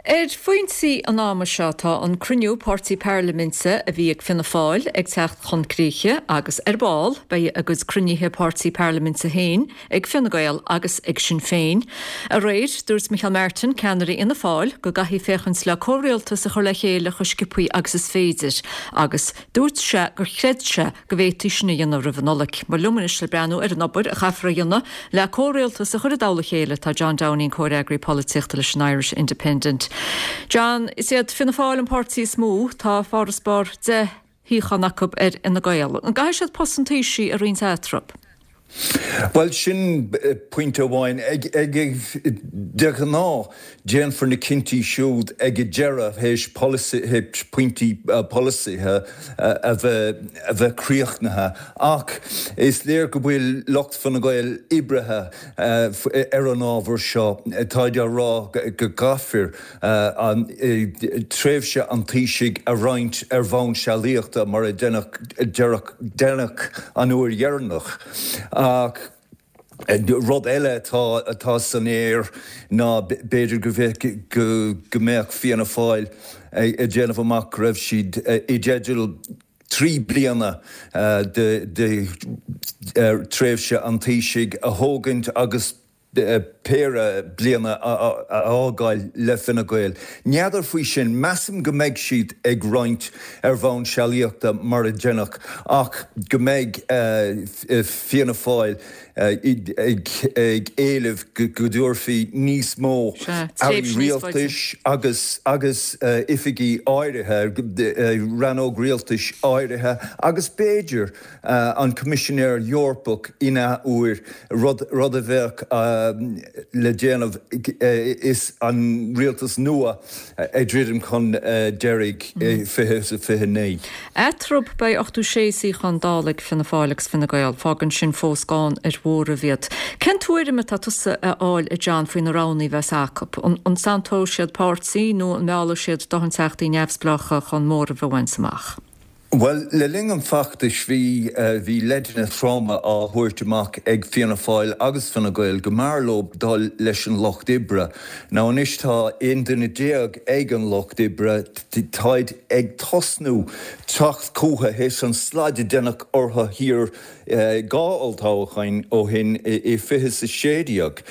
Ar phointí an ama seo tá an cruinniú páirtí pairliminte a bhí ag Fianna Fáil ag teacht chun críche agus ar ball beidh a gcuid cruinnithe páirtí pairliminte féin ag Fine Gael agus ag Sinn Féin. Aréir, dúirt Micheál Martin, ceannaire Fhianna Fáil, go gcaithfí féachaint le comhrialtas a chur le chéile chomh sciobthaí agus is féidir agus dúirt sé gur chreid sé go bhféadfaí sin a dhéanamh roimh an Nollaig. Mar liom anois le breathnú ar an obair a chaithfear a dhéanamh le comhrialtas a chur i dtoll a chéile tá John Downing, comhfhreagraí polaitíochta leis an Irish Independent. John, is iad Fianna Fáil an páirtí is mó, tá farasbarr 10 shuíochán acu ar Fhine Gael. An gcaithfidh siad post an Taoisigh a roinnt eatarthu? Bhuel, sin pointe amháin. De ghnáth, déanfar na cinntí siúd ag an deireadh, théis pointí polasaithe a bheith críochnaithe. Ach is léir go bhfuil lucht Fine Gael oibrithe ar an ábhar seo. Táid á rá go gcaithfear tréimhse an Taoisigh a roinnt ar bhonn sealaíochta mar a deineadh an uair dheireanach. Ach rud eile atá san aer ná b'fhéidir go mbeadh Fianna Fáil ag déanamh amach go raibh siad i dteideal. 3 bliana de thréimhse an Taoisigh a thógaint agus péire bliana a fhágáil le Fine Gael. N'fheadar faoi sin, measaim go mbeidh siad ag roinnt ar bhonn sealaíochta mar a deineadh ach go mbeidh Fianna Fáil ag éileamh go dtabharfaí níos mó airí rialtais agus agus oifigí áirithe, rannóg rialtais áirithe agus b'fhéidir an Coimisinéir Eorpach in athuair, rud rud a bheadh le déanamh is an rialtas nua ag druidim chun deiridh i 2029. Eatarthu, beidh 86 suíochán Dála ag Fianna Fáil agus Fine Gael. Fágann sin fós gann ar mhóramh iad. Cén tuairim atá tusa a fháil, a John, faoi na roghanna a bheas acu? An santóidh siad páirtí nó an meallfaidh siad dóthain teachtaí neamhspleácha chun móramh a bhaint amach? Bhuel, le linn an feachtais bhí bhí leideanna troma á thabhairt amach ag Fianna Fáil agus Fine Gael go mb'fhearr leo dul leis an Lucht Oibre. Now anois tá 11 duine ag an Lucht Oibre, táid ag tosnú teacht chútha théis an slad a deineadh orthu thiar 2 olltoghcháin ó shin i 2016.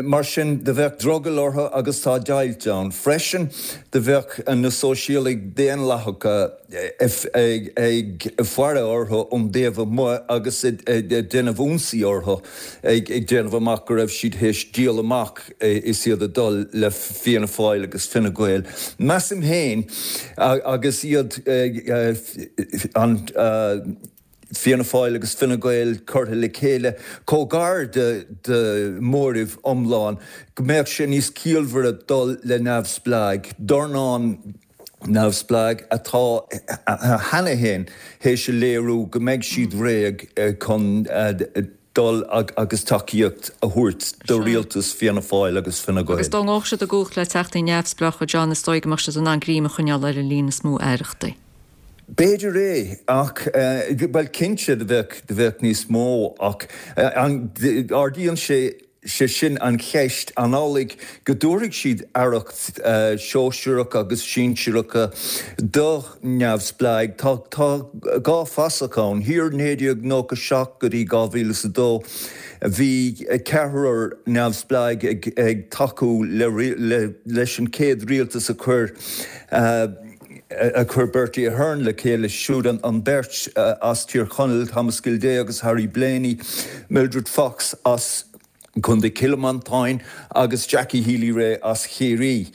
Mar sin do bheadh drogall orthu agus tá deighilt ann. Freisin do bheadh na Sóisialaigh Daonlathacha ag faire orthu ón dtaobh amuigh agus ag déanamh ionsaí orthu ag déanamh amach go raibh siad théis díol amach is iad ag dul le Fianna Fáil agus Fine Gael. Measaim féin agus iad an Fianna Fáil agus Fine Gael curtha le chéile chomh gar do mhóramh iomlán go mbeadh sé níos ciallmhaire dul le neamhspleáigh, dornán neamhspleáigh atá cheana féin théis a léiriú go mbeidh siad réidh chun dul agus tacaíocht a thabhairt do rialtas Fianna Fáil agus Fine Gael. Agus dá ngabhfadh siad i gcumhacht le teachtaí neamhspleácha, John, is dóigh go mbeadh siad in ann greim a choinneáil ar an líon is mó aireachtaí. B'fhéidir é, ach, bhuel, cinnte, do bheadh, do bheadh níos mó, ach ardaíonn sé, sé sin an cheist, an amhlaidh go dtabharfaidh siad aireacht shóisearach agus sinsearacha do neamhspleáigh? Tá, tá dhá fasach ann. Thiar 1997 go dtí 2002, bhí ceathrar neamhspleáigh ag, ag tacú le, le, leis an chéad rialtas a chuir, a chuir Bertie Ahern le chéile, siúd an bheirt as Tír Chonaill, Thomas Gildea agus Harry Blaney, Mildred Fox as Contae Chill Mhantáin agus Jackie Healy-Rae as Chiarraí.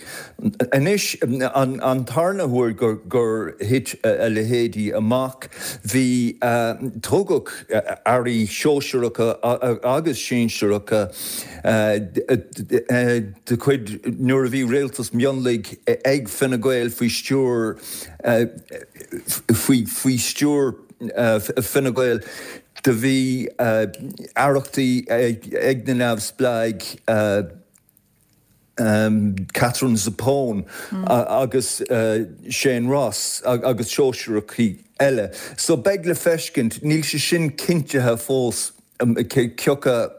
Anois, an tarna huair gur thit a leithéidí amach, bhí, tugadh airí sóisearacha agus sinsearacha de chuid nuair a bhí rialtas mionlaigh ag Fine Gael faoi stiúir faoi stiúir Fine Gael do bhí aireachtaí ag na neamhspleáigh Katherine Zappone agus Shane Ross agus sóisearacha eile. So beidh le feiscint, níl sé sin cinntithe fós cioca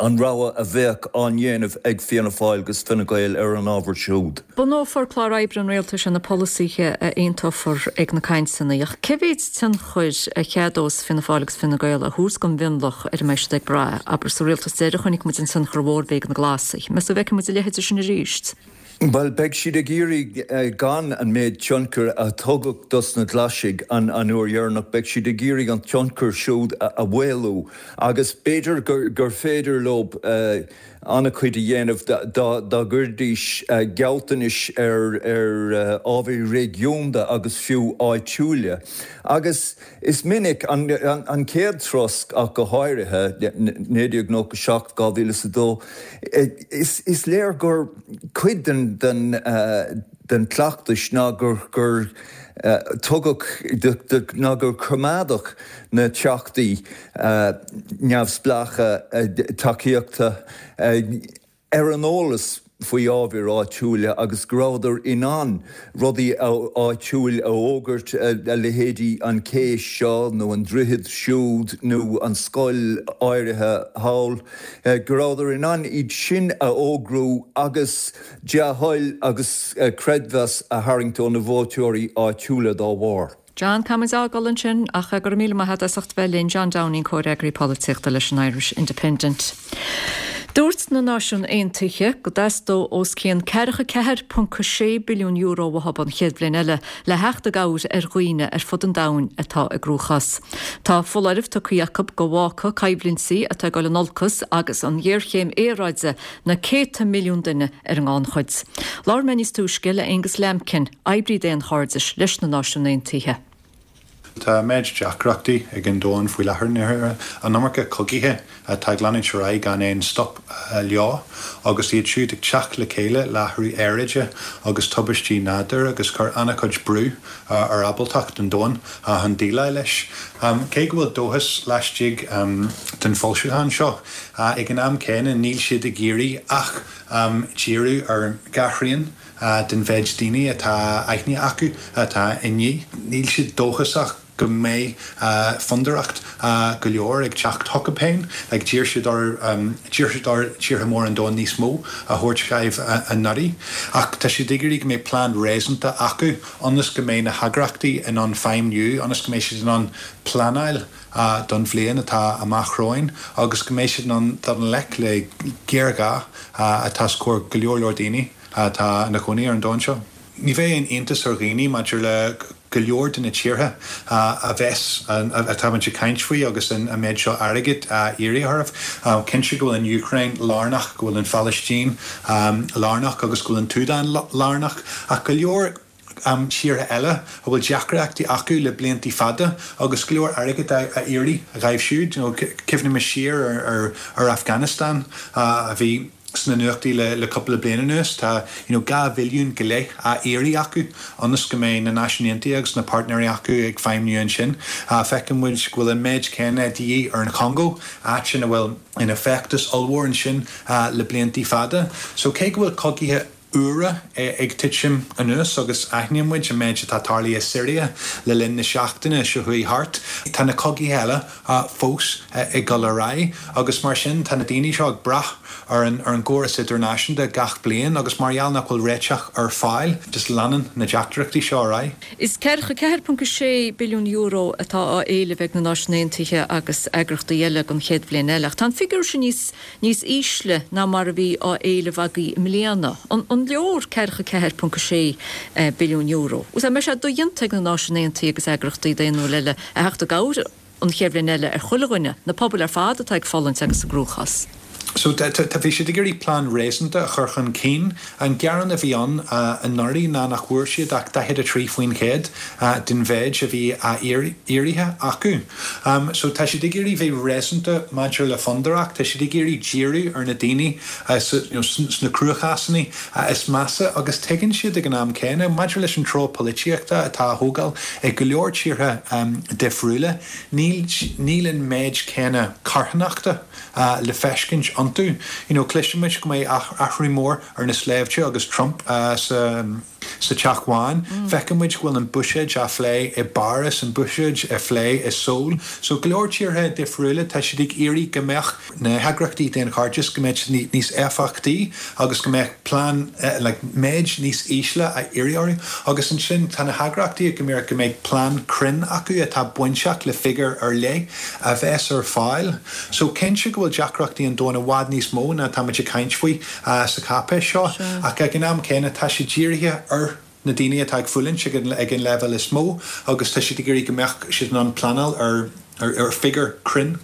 an rogha a bheadh á ndéanamh ag Fianna Fáil agus Fine Gael ar an ábhar siúd. Bunófar clár oibre an rialtais ar na polasaithe a aontófar ag na cainteanna. Ach cé mhéid tionchair a cheadós Fianna Fáil agus Fine Gael a thabhairt don mhionlach ar a mbeidh siad ag brath? Abair, sa rialtas deiridh chonaic muid an tionchar mhór a bhí ag na Glasaigh. Meas tú an bhfeicfidh muid a leithéid de sin arís? Bhuel, beidh siad ag iarraidh gan an méid tionchair a tugadh dos na Glaisigh an uair dheireanach, beidh siad ag iarraidh an tionchar siúd a mhaolú agus b'fhéidir gur féidir leo an-chuid a dhéanamh dá gcuirdís gealltanais ar ábhair réigiúnda agus fiú áitiúla agus Is minic, an chéad throsc ach go háirithe, 1997, 2002, is léir gur cuid den chleachtas ná gur tugadh, ná gur coimeádadh na teachtaí neamhspleácha tacaíochta ar an eolas faoi ábhair áitiúla agus go rabhadar in ann rudaí áitiúil a fhógairt, a leithéidí an cé seo nó an droichead siúd nó an scoil áirithe thall, go rabhadar in ann iad sin a fhógrú agus dea-thoil agus creidmheas a tharraingt ó na vótóirí áitiúla dá bharr. John, Caithfidh muid a fhágáil ansin ach go raibh míle maith agat as ucht bheith linn, John Downing, Comhfhreagraí Polaitíochta leis an Irish Independent. Dúirt na Náisiúin Aontaithe go dteastódh os cionn €44.6 billiún uathu an chéad bhliain eile le theacht i gcabhair ar dhaoine ar fud an domhain atá i gcruachás. Tá foláireamh tugtha acu go bhfágfadh coimhlintí atá ag dul in olcas agus an ghéarchéim aeráide na céadta milliún duine ar an ngannchuid. Labhair mé níos túisce le Aonghus Lambkin, oibrí daonchairdis leis na Náisiúin Aontaithe. Tá méid deacrachtaí ag an domhan faoi láthair, an iomarca cogaithe atá ag leanúint ar aghaidh gan aon stop leo, agus iad siúd ag teacht le chéile le athrú aeráide agus tubaistí nádúir agus cur an-chuid brú ar ábaltacht an domhain chun déileáil leis. Cé go bhfuil dóchas laistigh den foilseachán seo, ag an am céanna níl siad ag iarraidh ach díriú ar dhá thrian den mhéid daoine atá aithne acu atá i ndíth. Níl siad dóchasach go mbeidh fundóireacht go leor ag teacht chucu féin. Like d'iarr siad ar d'iarr siad ar tíortha móra an domhain níos mó a thabhairt dóibh anuraidh. Ach tá siad ag iarraidh go mbeidh plean réasúnta acu ionas go mbeidh na heagraíochtaí in ann feidhmniú, ionas go mbeidh siad in ann pleanáil don bhliain atá amach romhainn agus go mbeidh siad in ann dul i ngleic le géarghá atá os comhair go leor leor daoine atá ina chónaí ar an domhan seo. Ní bheidh aon iontas ar dhaoine maidir le go leor de na tíortha a bheas, atá muid ag caint faoi agus an méid seo airgid á iarraidh orthu. Cinnte go bhfuil an Úcráin lárnach, go bhfuil an Phalaistín lárnach agus go bhfuil an tSúdáin lárnach ach go leor tíortha eile a bhfuil deacrachtaí acu le bliantaí fada agus go leor airgid á iarraidh dhóibh siúd. Cuimhnímis siar ar Afghanistan a bhí sna nuachtaí le cúpla bliain anuas. Tá you know 2 bhilliún go leith á iarraidh acu ionas go mbeidh na Náisiúin Aontaithe agus na páirtnéirí acu ag feidhmniú ansin. Feiceann muid go bhfuil an méid céanna de dhíth ar an Chongó, áit ina bhfuil ina feachtas ollmhór ansin le bliantaí fada. So cé go bhfuil cogaithe úra ag titim anuas agus aithníonn muid an méid atá tarlaithe i Siria le linn na seachtaine seo chuaigh thart. Tá na cogaithe eile fós ag dul ar aghaidh agus mar sin tá na daoine seo ag brath ar an ar an gcóras idirnáisiúnta gach bliain agus mar gheall nach bhfuil réiteach ar fáil just leanann na deacrachtaí seo ar aghaidh. Is €44.6 billiún atá á éileamh ag na Náisiúin Aontaithe agus eagrachtaí eile don chéad bhliain eile ach tá an figiúr sin níos níos ísle ná mar a bhí á éileamh agaibh i mbliana. An leor €44.6 billiún? An mbeidh sé dodhéanta ag na Náisiúin Aontaithe agus eagrachtaí daonnúil eile a theacht i gcabhair an chéad bhliain eile ar chuile dhuine, na pobail ar fad atá ag fulaingt agus i gcruachás? So, tá, bhí siad ag iarraidh plean réasúnta a chur chun cinn. An gearán a bhí ann anuraidh ná nach bhfuair siad ach 43% den mhéid a bhí á iarraidh acu. So tá siad ag iarraidh bheith réasúnta maidir le fundóireacht, tá siad ag iarraidh díriú ar na daoine sna cruachásanna is measa agus tuigeann siad ag an am céanna, maidir leis an treo polaitíochta atá á thógáil ag go leor tíortha difriúla, níl an méid céanna carthanachta le feiscint iontu. You know, cloisimid go mbeidh athrú mór ar na sléibhte agus Trump sa sa Teach Bhán. Feiceann muid go bhfuil an buiséad á phlé i bPáras, an buiséad á phlé i Seoul. So go leor tíortha difriúla, tá siad ag iarraidh go mbeadh na heagraíochtaí daonchairdis, go mbeadh siad níos éifeachtaí agus go mbeadh plean, like, méid níos ísle á iarraidh orthu. Agus ansin tá na heagraíochtaí ag iarraidh go mbeidh plean cruinn acu atá bainteach le figiúr ar leith a bheas ar fáil. So cinnte go bhfuil deacrachtaí an domhain i bhfad níos mó ná tá muid ag caint faoi sa cháipéis seo, ach ag an am céanna tá sé dírithe ar na daoine atá ag fulaingt ag an leibhéal is mó agus tá siad ag iarraidh go mbeadh siad in ann pleanáil ar figiúr cruinn.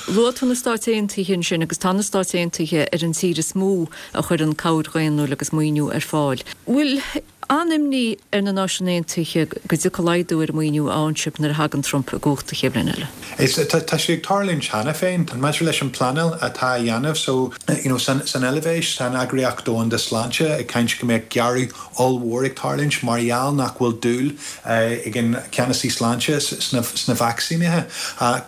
Luaigh tú na Stáit Aontaithe ansin agus tá na Stáit Aontaithe ar an tír is mó a chuireann cabhair dhaonnúil agus maoiniú ar fáil. Bhfuil an-imní ar na Náisiúin Aontaithe go dtiocfaidh laghdú ar an maoiniú a fhaigheann sibh nuair a thagann Trump i gcumhacht an chéad bhliain eile. Is tá sé ag tarlúint cheana féin. Maidir leis an pleanáil atá á dhéanamh so you know san san Eilvéis tá an Eagraíocht Domhanda Sláinte ag caint go mbeadh gearradh ollmhór ag tarlúint mar gheall nach bhfuil dúil ag an ceannasaí sláinte sna sna vacsaínithe.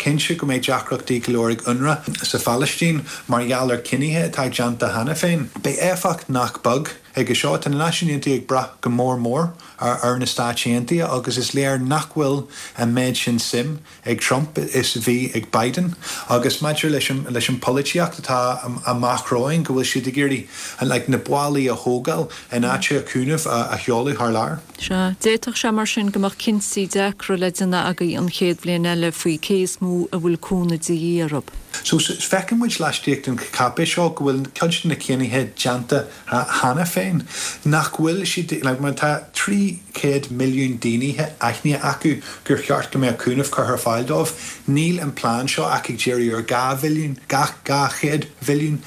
Cinnte go mbeidh deacrachtaí go leor ag UNRWA sa Phalaistín mar gheall ar cinnithe atá déanta cheana féin. Beidh éifeacht nach beag. Chuige seo, tá na Náisiúin Aontaithe ag brath go mór mór ar na Stáit Aontaithe agus is léir nach bhfuil an méid sin suim ag Trump is a bhí ag Biden. Agus maidir leis an leis an polaitíocht atá amach romhainn, go bhfuil siad ag iarraidh like na ballaí a thógáil in áit cúnamh a sheoladh thar lear. Sea. D'fhéadfadh sé mar sin go mbeadh cinntí deacra le déanamh agaibh an chéad bhliain eile faoi cé is mó a bhfuil cúnamh de dhíth orthu. So, feiceann muid laistigh den cháipéis seo go bhfuil cuid de na cinnithe déanta cheana féin, nach bhfuil siad, like, má tá 300 milliún daoine aithnithe acu gur cheart go mbeadh cúnamh curtha ar fáil dóibh, níl an plean seo ach ag díriú ar 2 mhilliún, 200 mhilliún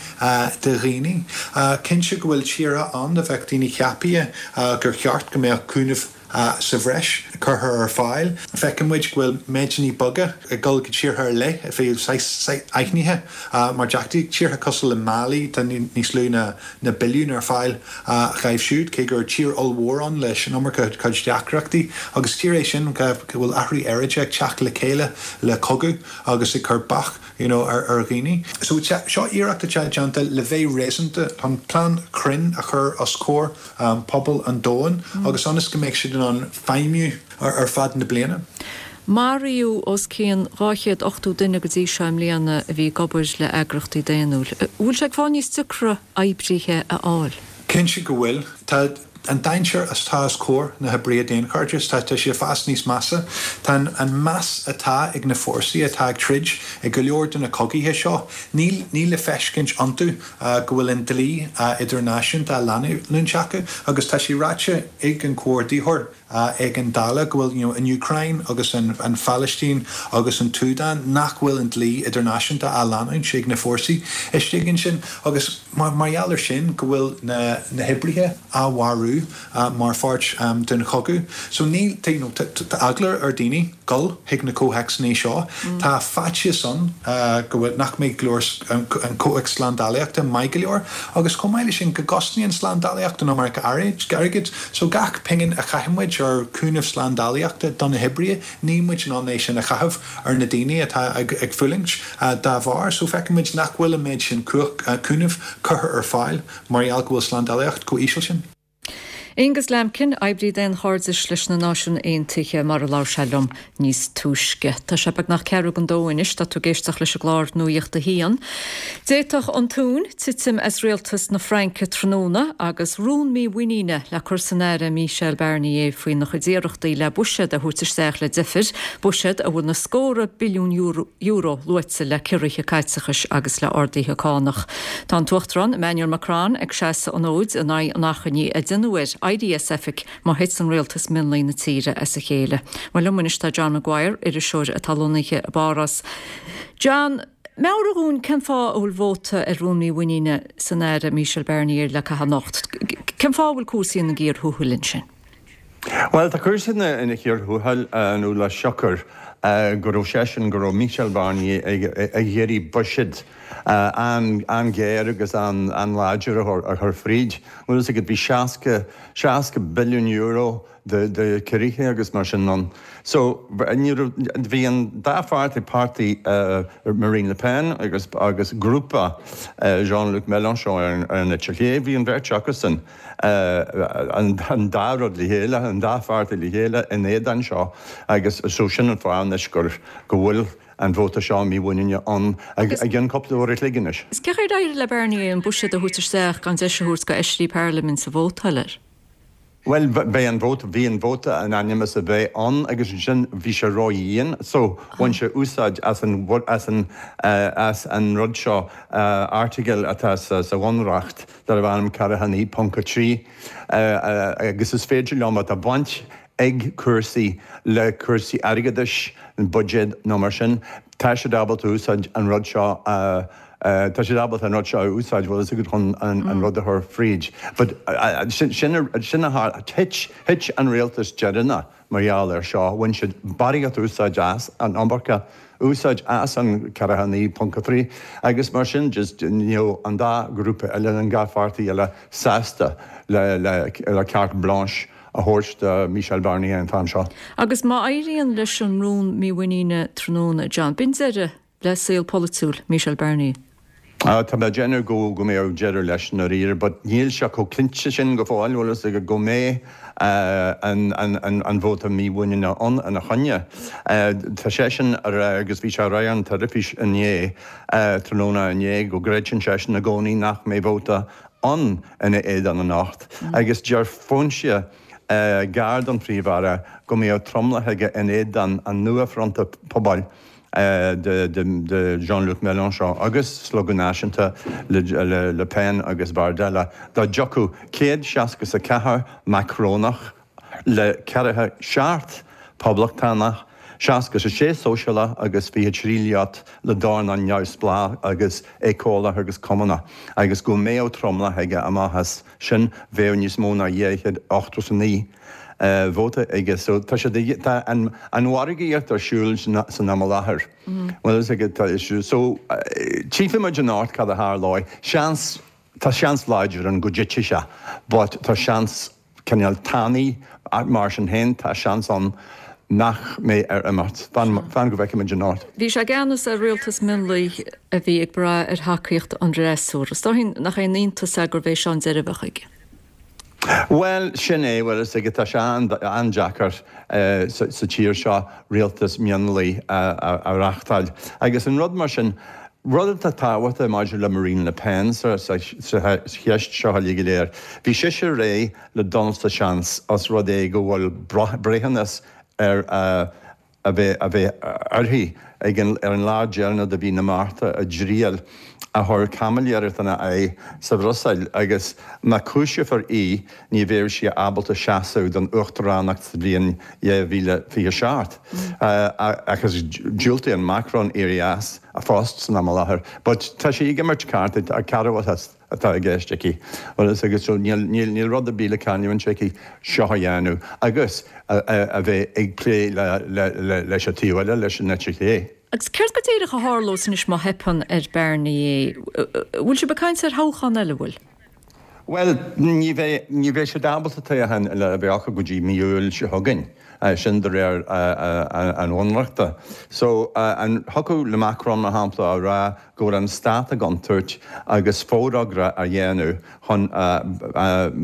de dhaoine. Cinnte go bhfuil tíortha ann a bheadh daoine ceaptha gur cheart go mbeadh cúnamh sa bhreis curtha ar fáil. Feiceann muid go bhfuil méideanna beaga ag dul go tíortha ar leith a bhí saghas aithnithe mar deachtaí, tíortha cosúil le Mali, tá níos lú ná billiún ar fáil dhóibh siúd, cé gur tír ollmhór ann leis an iomarca cuid deacrachtaí. Agus tír é sin go bhfuil athrú aeráide ag teacht le chéile le cogadh agus ag cur bac you know ar dhaoine. So seo iarracht atá déanta le bheith réasúnta chun plean cruinn a chur os comhair pobal an domhain agus ionas go mbeidh siad in ann feidhmiú ar feadh na bliana. Maraíodh os cionn 280 duine go dtí seo i mbliana a bhí ag obair le eagraíochtaí daonnúil. An bhfuil sé ag fáil níos deacra oibrithe a fháil? Cinnte go bhfuil. Tá an dainséar atá os comhair na hoibrithe daonchairdis, tá sé ag fás níos measa. Tá an meas atá ag na fórsaí atá ag troid i go leor de na cogaithe seo, níl níl le feiscint iontu go bhfuil an dlí idirnáisiúnta á leanúint acu agus tá sé ráite ag an Comhordaitheoir Éigeandála go bhfuil you know an Úcráin agus an an Phalaistín agus an tSúdáin nach bhfuil an dlí idirnáisiúnta á leanúint ag na fórsaí istigh ansin agus mar mar gheall ar sin go bhfuil na na hoibrithe á mharú mar pháirt den chogadh. So níl you know tá eagla ar daoine dul chuig na comhthéacsanna seo. Tá faitíos ann go bhfuil nach mbeidh go leor an comhthéacs slándálaíochta maith go leor agus chomh maith leis sin go gcosnaíonn slándálaíocht an iomarca airgid. So gach pingin a chaitheann muid ar chúnamh slándálaíochta do na hoibrithe níl muid in ann é sin a chaitheamh ar na daoine atá ag fulaingt dá bharr. So feiceann muid nach bhfuil an méid sin cúnamh curtha ar fáil mar gheall go bhfuil slándálaíocht chomh íseal sin. Aonghus Lambkin, oibrí daonchairdis leis na Náisiúin Aontaithe, mar a labhair sé liom níos túisce. Tá sé beagnach ceathrú don dó anois, tá tú ag éisteacht leis an gclár Nuacht a hAon. D'fhéadfadh an tóin titim as rialtas na Fraince tráthnóna agus rún mímhuiníne le cur san Aire Michel Barnier faoina chuid iarrachtaí le buiséad a thabhairt isteach le deifir, buiséad a bhfuil na scórtha billiún euro luaite le ciorruithe caiteachais agus le arduithe cánach. Tá an tUachtarán Emmanuel Macron ag seasamh an fhóid in aghaidh an achainí a déanadh air éirí as oifig má thiteann rialtas mionlaigh na tíre as a chéile. Bhuel liom anois tá John Maguire, iriseoir atá lonnaithe i bPáras. John, meabhraigh dhúinn cén fáth a bhfuil vóta ar rún mímhuiníne san Aire Michel Barnier le caitheamh anocht. Cén fáth a bhfuil cúrsaí ina gcíor thuathail ansin? Bhuel, tá cúrsaí ina gcíor thuathail nó le siocair go raibh seisean, go raibh Michel Barnier ag iarraidh buiséad an-ghéar agus an-láidir a chur fríd. Bhfuil fhios agat, bhí 60, 60 billiún euro de ciorruithe agus mar sin ann. So, ní raibh, bhí an dá pháirtí, páirtí Marine Le Pen agus agus grúpa Jean-Luc Mélenchon ar an eite chlé, bhí an bheirt acusan, an dá rud le chéile, an dá pháirtí le chéile in éadan seo agus so sin an fáth anois gur, go bhfuil an vóta seo mímhuiníne ann i gcionn cúpla uair a chloig anois. Cén chaoi ar éirigh le Barnier an buiséad a thabhairt isteach gan deis a thabhairt do fheisirí parlaiminte vótáil air? Bhuel, beidh an vóta, bhí an vóta in ainm is a bheith ann agus ansin bhí sé ró-dhian so bhain sé úsáid as an, as an, as an rud seo, airteagal atá sa Bhunreacht darbh ainm 49.3 agus is féidir leo má tá baint ag cúrsaí le cúrsaí airgeadais, an buiséad nó mar sin, tá siad ábalta úsáid an rud seo a, tá siad ábalta an rud seo a úsáid, bhfuil fhios agat, chun an rud a chur fríd. But sin, sin a tharla, thit, thit an rialtas deireanach mar gheall air seo, bhain siad barraíocht úsáid as, an iomarca úsáid as an 49.3 agus mar sin just ní raibh an dá ghrúpa eile, an dá pháirtí eile sásta le, le, le carte blanche a thabhairt do Michel Barnier an t-am seo. Agus má éiríonn leis an rún mímhuiníne tráthnóna, John, b'in deireadh le saol polaitiúil Michel Barnier. Tá mé ag déanamh go go mbeadh deireadh leis i ndáiríre but níl sé chomh cinnte sin go fóill, bhfuil fhios agat, go mbeidh an vóta mímhuiníne ann ina choinne. Tá seisean a rá agus bhí sé a rá ar an teilifís inné, tráthnóna inné, go gcreideann seisean i gcónaí nach mbeidh vóta ann ina éadan anocht agus deir foinse gar don Phríomh-Aire go mbeadh tromlach aige in éadan an nua-Fhronta Pobail. de Jean-Luc Mélenchon agus Slógadh Náisiúnta le Le Pen agus Bardella dá dtiocfadh 164 Macrónach le 47 Poblachtánach, 66 Sóisialach agus 23 liot le dornán neamhspleách agus éiceolach agus cumannach agus go mbeadh tromlach aige amach as sin bheadh níos mó ná 289 vóta aige. So tá sé tá an an mhargaíocht ar siúl san am i láthair. Bhfuil fhios agat tá so tchífimid anocht cad a tharlóidh. Seans tá seans láidir ann go dtitfidh sé but tá seans cineál tanaí mar sin féin tá seans ann nach mbeidh air imeacht. Fan fan go bhfeicfimid anocht. Bhí sé i gceannas ar rialtas mionlaigh a bhí ag brath ar thacaíocht an fhreasúra. Is dóigh nach aon iontas é gurbh é seo an deireadh a bheadh aige. Bhuel, sin é, bhfuil fhios agat, tá sé an-deacair sa tír seo rialtas mionlaigh a reáchtáil. Agus an rud mar sin, rud atá tábhachtach maidir le Marine Le Pen sa cheist seo uilig go léir, bhí sise réidh le dul sa seans os rud é go bhfuil breithiúnas ar a a bheith a bheith uirthi ag an ar an lá deireanach de mhí na Márta i dtriail a chuir caimiléireacht ina aghaidh sa Bhruiséil agus má cúiseofar í ní bheidh sí ábalta seasamh don uachtaránacht sa bhliain 2027 agus diúltaíonn Macron éirí as a phost san am i láthair but tá sí ag imirt cártaí cearrbhachas atá i gceist aici. Bhfuil fhios agat, so níl, níl, níl rud ar bith le cailliúint aici seo a dhéanamh agus a bheith ag plé le, le, le, leis an taobh eile, leis an eite chlé. Agus céard go díreach a tharlós anois má theipeann ar Barnier? Bhfuil sibh ag caint ar thoghchán eile, bhfuil? Bhuel, ní bheidh, ní bheidh siad ábalta toghchán eile a bheith acu go dtí mí Iúil seo chugainn, sin de réir an Bhunreachta. So, an thiocfadh le Macron, mar shampla, a rá go bhfuil an stát i gcontúirt agus forógra a dhéanamh chun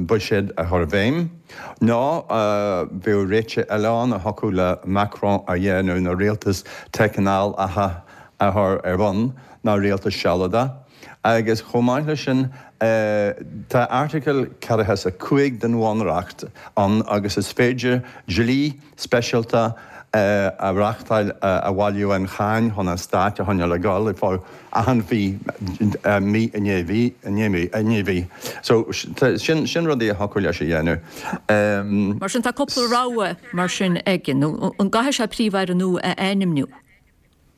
buiséad a chur i bhfeidhm, nó bheadh réitigh eile ann a thiocfadh le Macron a dhéanamh ná rialtas teicneolaithe a chur ar bun nó rialtas sealadach. Agus chomh maith leis sin, tá Airteagal 45 den Bhunreacht ann agus is féidir dlí speisialta a reáchtáil a bhaileodh an cháin chun an stát a choinneáil ag dul ar feadh achan mhí, mí i ndiaidh mhí i ndiaidh mí i ndiaidh mhí. So sin sin rudaí a thiocfadh leis a dhéanamh. Mar sin tá cúpla rogha mar sin aige, nó an gcaithfidh sé príomh-aire nua a ainmniú?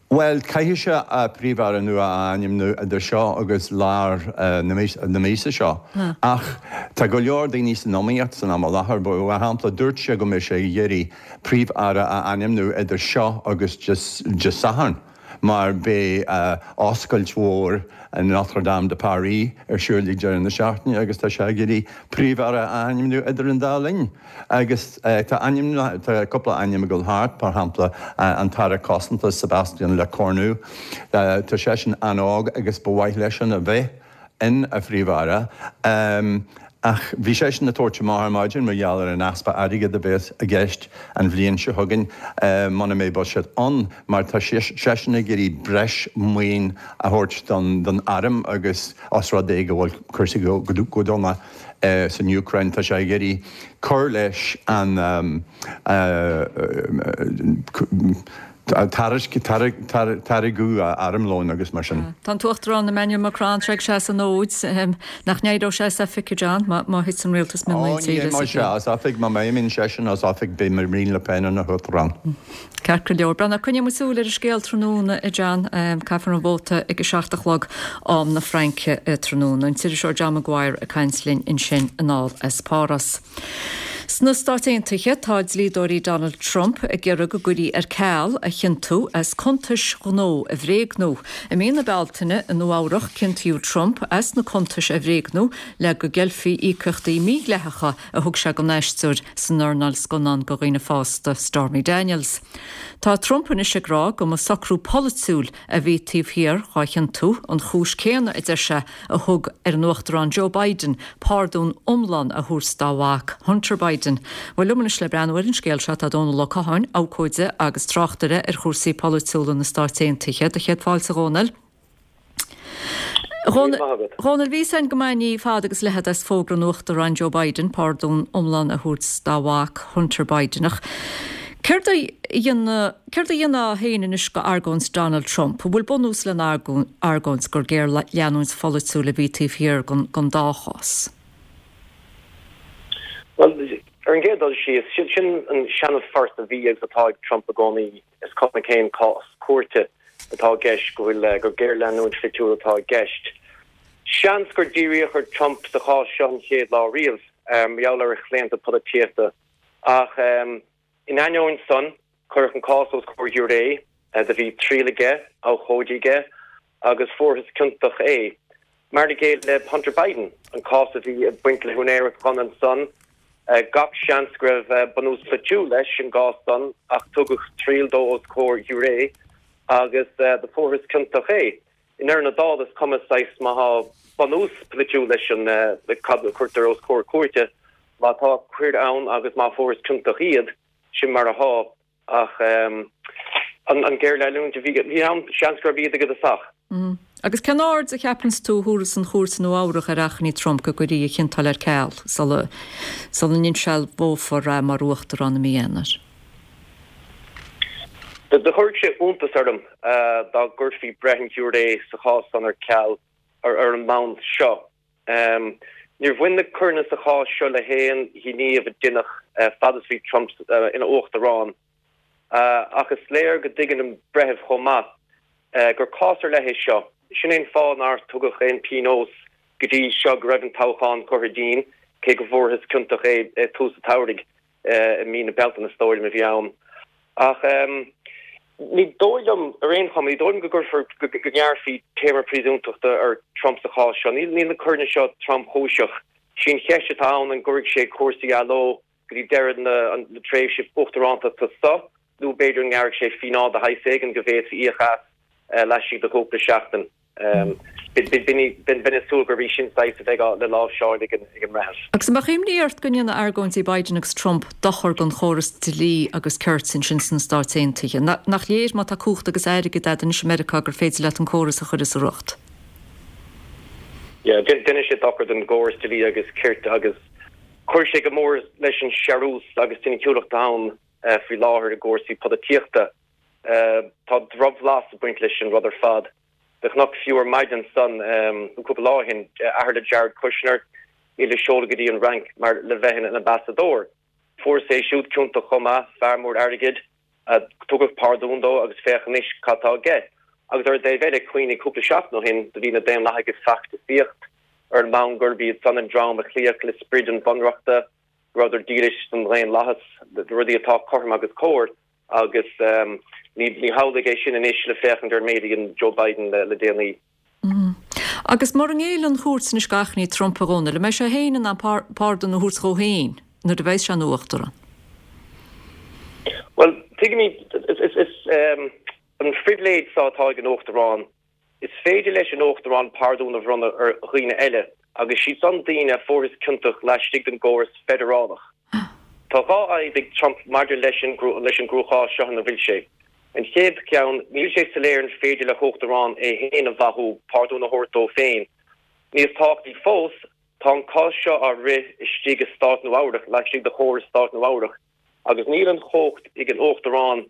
Bhuel, caithfidh sé Príomh-Aire nua a ainmniú idir seo agus lár na míosa seo. Ach tá go leor daoine san iomaíocht san am i láthair. Mar shampla, dúirt sé go mbeidh sé ag iarraidh Príomh-Aire a ainmniú idir seo agus Dé Sathairn mar beidh oscailt mhór Notre Dame de Paris ar siúl ag deireadh na seachtaine agus tá sé ag iarraidh Príomh-Aire a ainmniú idir an dá linn. Agus tá ainm, tá cúpla ainm ag dul thart, mar shampla an tAire Cosanta Sébastien Lecornu, tá seisean an-óg agus ba mhaith leisean a bheith ina Phríomh-Aire. Ach bhí seisean ag tabhairt amach ar maidin mar gheall ar an easpa airgid a bheas i gceist an bhliain seo chugainn muna mbeidh buiséad ann, mar tá seisean ag iarraidh breis maoin a thabhairt don arm agus os rud é go bhfuil cúrsaí go dona. san Úcráin. Tá sé ag iarraidh cur leis an táirgeadh armlóin agus mar sin. Tá an tUachtarán Emmanuel Macron tar éis seasamh an fhóid. Nach n-éireodh sé as oifig, a John, má thit an rialtas mionlaigh Ó, ní éireoidh sé as oifig. Má imíonn seisean as oifig, beidh Marine Le Pen ina huachtarán. Ceart go leor. Breathnaigh, coinneoidh muid súil ar an scéal tráthnóna, a John. Caithfear an vóta ag a 7 a chlog, am na Fraince, tráthnóna. An t-iriseoir John Maguire ag caint linn ansin anall as Páras. Sna Stáit Aontaithe, tá dlíodóirí Donald Trump ag iarraidh go gcuirfí ar ceal a chiontú as cuntais ghnó a bhréagnú. I mí na Bealtaine i Nua Eabhrac, ciontaíodh Trump as na cuntais a bhréagnú le go gceilfí íocaíochtaí mídhleathacha a thug sé don aisteoir san earnáil scannán do dhaoine fásta, Stormy Daniels. Tá Trump anois ag rá go mba socrú polaitiúil a bhí taobh thiar dhá chiontú, an chúis céanna, a deir sé, a thug ar an Uachtarán Joe Biden pardún iomlán a thabhairt dá mhac, Hunter Biden. Bhuel, liom anois le breathnú ar an scéal seo tá Dónal Ó Catháin, abhcóide agus tráchtaire ar chúrsaí polaitiúla na Stáit Aontaithe. Do chéad fáilte, a Dhónaill. A Dhónaill, bhí fhios againn go maith ní fada agus leithead as fógra an Uachtaráin Joe Biden pardún iomlán a thabhairt dá mhac, Hunter Biden. Ach céard a dhéanfá Céard a dhéanfá féin anois go argóint Donald Trump? An bhfuil bunús lena argóint gur géarleanúint pholaitiúil a bhí taobh thiar den dá chás? Bhuel, ar an gcéad dul síos, sin an seana-phort a bhí agus atá ag Trump i gcónaí, is cuma cén cás cúirte atá i gceist, go bhfuil, gur géarleanúint pholaitiúil atá i gceist. Seans gur díríodh ar Trump sa chás seo an chéad lá riamh, mar gheall ar a chlaonta polaitíochta, ach In ainneoin san, cuireadh an cás os comhair ghiúiré, do bhí triail aige, abhchóidí aige, agus fuarthas ciontach é. Mar a chéile le Hunter Biden, an cás a bhí ag baint le húinéireacht ghunna ansan, gach seans go raibh bunús polaitiúil leis an gcás san, ach tugadh triail dó os comhair ghiúiré agus do fuarthas ciontach é. I ndeireadh na dála, is cuma saghas má thá bunús polaitiúil leis an cad a cuirtear os comhair cúirte, má tá coir ann agus má fuarthas ciontach iad, sin mar athá. Ach an géarleanúint a bhí ann, seans gurb iad i dtosach. Agus cén aird a cheapanns tú a thabharfas an chúirt i Nua Eabhrach ar achainí Trump go gcuirfí a chiontáil ar ceal sula sula n-insealbhófar é mar uachtarán i mí Eanáir? Do chuirfeadh sé iontas orm dá gcuirfí breith an ghiúiré sa chás san ar ceal ar an mbonn seo. Níor bhain na coireanna sa chás seo le haon ghníomh a deineadh fad is bhí Trump ina uachtarán. Ach is léir go dtuigeann an breitheamh chomh maith gur cás ar leith é seo. Sin é an fáth nár tugadh aon phionós go dtí seo go raibh an toghchán curtha dínn, cé go bhfuarthas ciontach é ag tús an tsamhraidh. i mí na Bealtaine is dóigh liom a bhí ann. Ach ní dóigh liom, ar aon chuma, ní dóigh liom go gcuirfear, go ngearrfaí téarma príosúntachta ar Trump sa chás seo. Níl na coireanna seo tromchúiseach. Sí an cheist atá ann an gcuirfidh sé cúrsaí athló go dtí deireadh na tréimhse uachtarántachta seo nó b'fhéidir an ngearrfaidh sé fíneáil de shaghas éigin go bhféadfaí íoc as laistigh de chúpla seachtain. Bheinn ag súil gurb í sin saghas a bheidh le láimhseáil ag an mbreitheamh. Agus an mbeadh imní ort go ndéanfaidh argóintí Biden agus Trump dochar don chóras dlí agus cirt ansin sna Stáit Aontaithe? Nach léir má tá cumhacht agus airgead agat anois i Meiriceá gur féidir leat an córas a chur as a riocht? Yeah, déanfaidh sé dochar don gcóras dlí agus cirt agus cuirfidh sé go mór leis an searús agus soiniciúlacht atá ann faoi láthair i gcúrsaí polaitíochta. Tá drochbhlas ag baint leis an rud ar fad. Do chonac fiú ar maidin ansan, nó cúpla lá ó shin, athair le Jared Kushner, é le seoladh go dtí an Fhrainc mar le bheith ina ambasadóir. Fuarthas é siúd ciontach chomh maith, fear mór airgid. Tugadh pardún dó agus féach anois cad tá aige. Agus ar an dtaobh eile, cuimhnigh cúpla seachtain ó shin, do bhí na Daonlathaigh ag feachtasaíocht ar an mbonn gurb iad san an dream a chloífeadh le sprid an Bhunreachta, go rabhadar dílis don dhaonlathas, do rudaí atá cothrom agus cóir. Agus ní hamhlaidh é sin anois le féachaint ar an méid a dhein Joe Biden le déanaí. Agus mura ngéilleann an chúirt anois d'achainí Trump, a Dhónaill, an mbeidh sé féin in ann pardún a thabhairt dhó féin nuair a bheas sé ina uachtarán? Bhuel, tuigimid, is an phribhléid seo atá ag an uachtarán Is féidir leis an Uachtarán pardún a bhronnadh ar dhaoine eile, agus siad san daoine a fuarthas ciontach laistigh den gcóras feidearálach. Tá 2 fhadhb ag Trump maidir leis an leis an gcruachás seo ina bhfuil sé. An chéad cheann, níl sé soiléir an féidir le hUachtarán é féin a mhaithiú, pardún a thabhairt dó féin. Níos tábhachtaí fós, tá an cás seo á rith istigh i Stát Nua Eabhrac, laistigh de chóras Stát Nua Eabhrac, agus níl an chumhacht ag an Uachtarán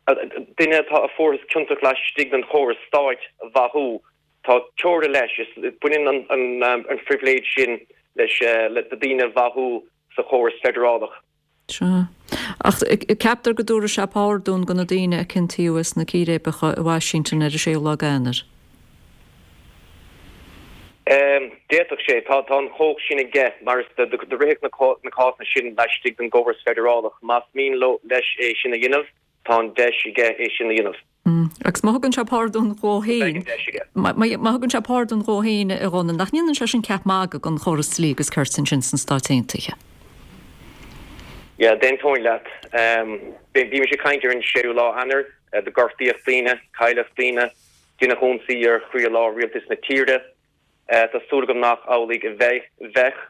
Duine atá a fuarthas ciontach laistigh den chóras stáit a mhaithiú, tá teora leis. Baineann an phribhléid sin leis le daoine a mhaithiú sa chóras feidearálach. Sea. Ach ceaptar go dtabharfaidh sé pardún do na daoine a ciontaíodh sna círéibeacha i Washington ar an séú lá d'Eanáir. D'fhéadfadh sé. Tá an chumhacht sin aige mar is do ritheadh na cásanna sin laistigh den gcóras feidearálach. Más mian leis é sin a dhéanamh, tá an deis aige é sin a dhéanamh. Agus má thugann sé pardún dhó féin, má thugann sé pardún dhó féin, a Dhónaill, nach ndéanann sé sin ceap magaidh den chóras dlí agus cirt ansin sna Stáit Aontaithe? Yeah, d'aontóinn leat. Bímis ag caint ar an séú lá Eanáir, do gortaíodh daoine, cailleadh daoine. Deineadh ionsaí ar chroílár rialtas na tíre. Tá súil agam nach amhlaidh a bheidh, bheadh,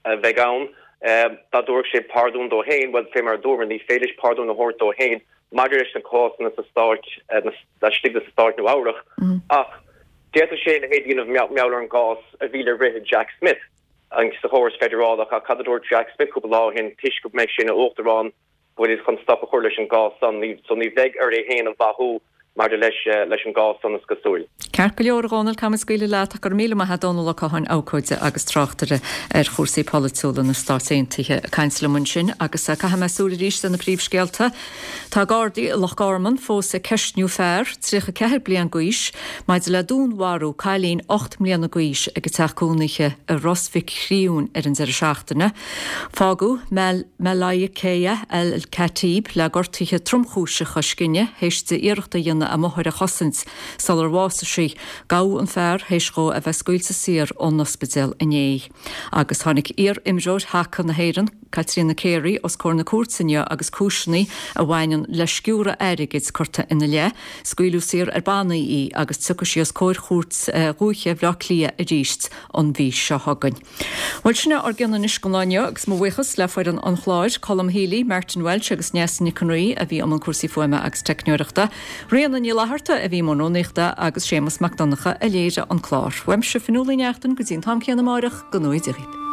a bheidh ann. Dá dtabharfadh sé pardún dó féin, bhuel, fé mar a dúramar, ní féidir leis pardún a thabhairt dó féin maidir leis na cásanna sa stáit, laistigh de stáit Nua Eabhrach, ach d'fhéadfadh sé a leithéid a dhéanamh mar gheall ar an gcás a bhí le rith ag Jack Smith sa chóras feidearálach. Ach cad a dúirt Jack Smith cúpla lá ó shin, toisc go mbeidh sé ina uachtarán, go bhfuil chun stop a chur leis an gcás san, so ní bheidh air é féin a mhaitheamh maidir leis leis an gcás san is cosúil. Ceart go leor, a Dhónaill, caithfidh mé scaoileadh leat ach go raibh míle maith a't, Dónall Ó Catháin, abhcóide agus tráchtaire ar chúrsaí polaitiúla na Stáit Aontaithe ag caint liom ansin agus caithfidh mé súil arís ar na príomhscéalta. Tá Gardaí i Loch Garman fós ag ceistniú fear, 34 bliain d'aois, maidir le dúnmharú cailín 8 mbliana d'aois ag a teach cónaithe i Ros Mhic Thriúin ar an deireadh seachtaine. Fágadh Malaikea El Khatib le gortuithe tromchúiseacha scine théis di iarracht a dhéanamh a máthair a chosaint sular bhásaigh sí. Gabhadh an fear théis dhó a bheith scaoilte saor ón ospidéal inné. Agus tháinig iar-imreoir haca na hÉireann, Caitríona Carey, os comhair na cúirte inniu agus cúiseanna a bhaineann le sciúradh airgid curtha ina leith. Scaoileadh saor ar bannaí í agus tiocfaidh sí os comhair Chúirt Dhúiche Bhaile Átha Cliath arís an mhí seo chugainn. Bhuel, sin é ár gcion anois don lá inniu agus mo bhuíochas le foireann an chláir, Colm Healy, Martin Walsh agus Neasa Nic an Rí a bhí i mbun cúrsaí fuaime agus teicneoireachta, Ríona Ní Fhlatharta a bhí i mbun rúnaíochta agus Séamus Mac Donncha a léirigh an clár. Uaimse, Fionnuala Ní Neachtain, go dtí an t-am céanna amáireach, go ngnóthaí Dia dhaoibh.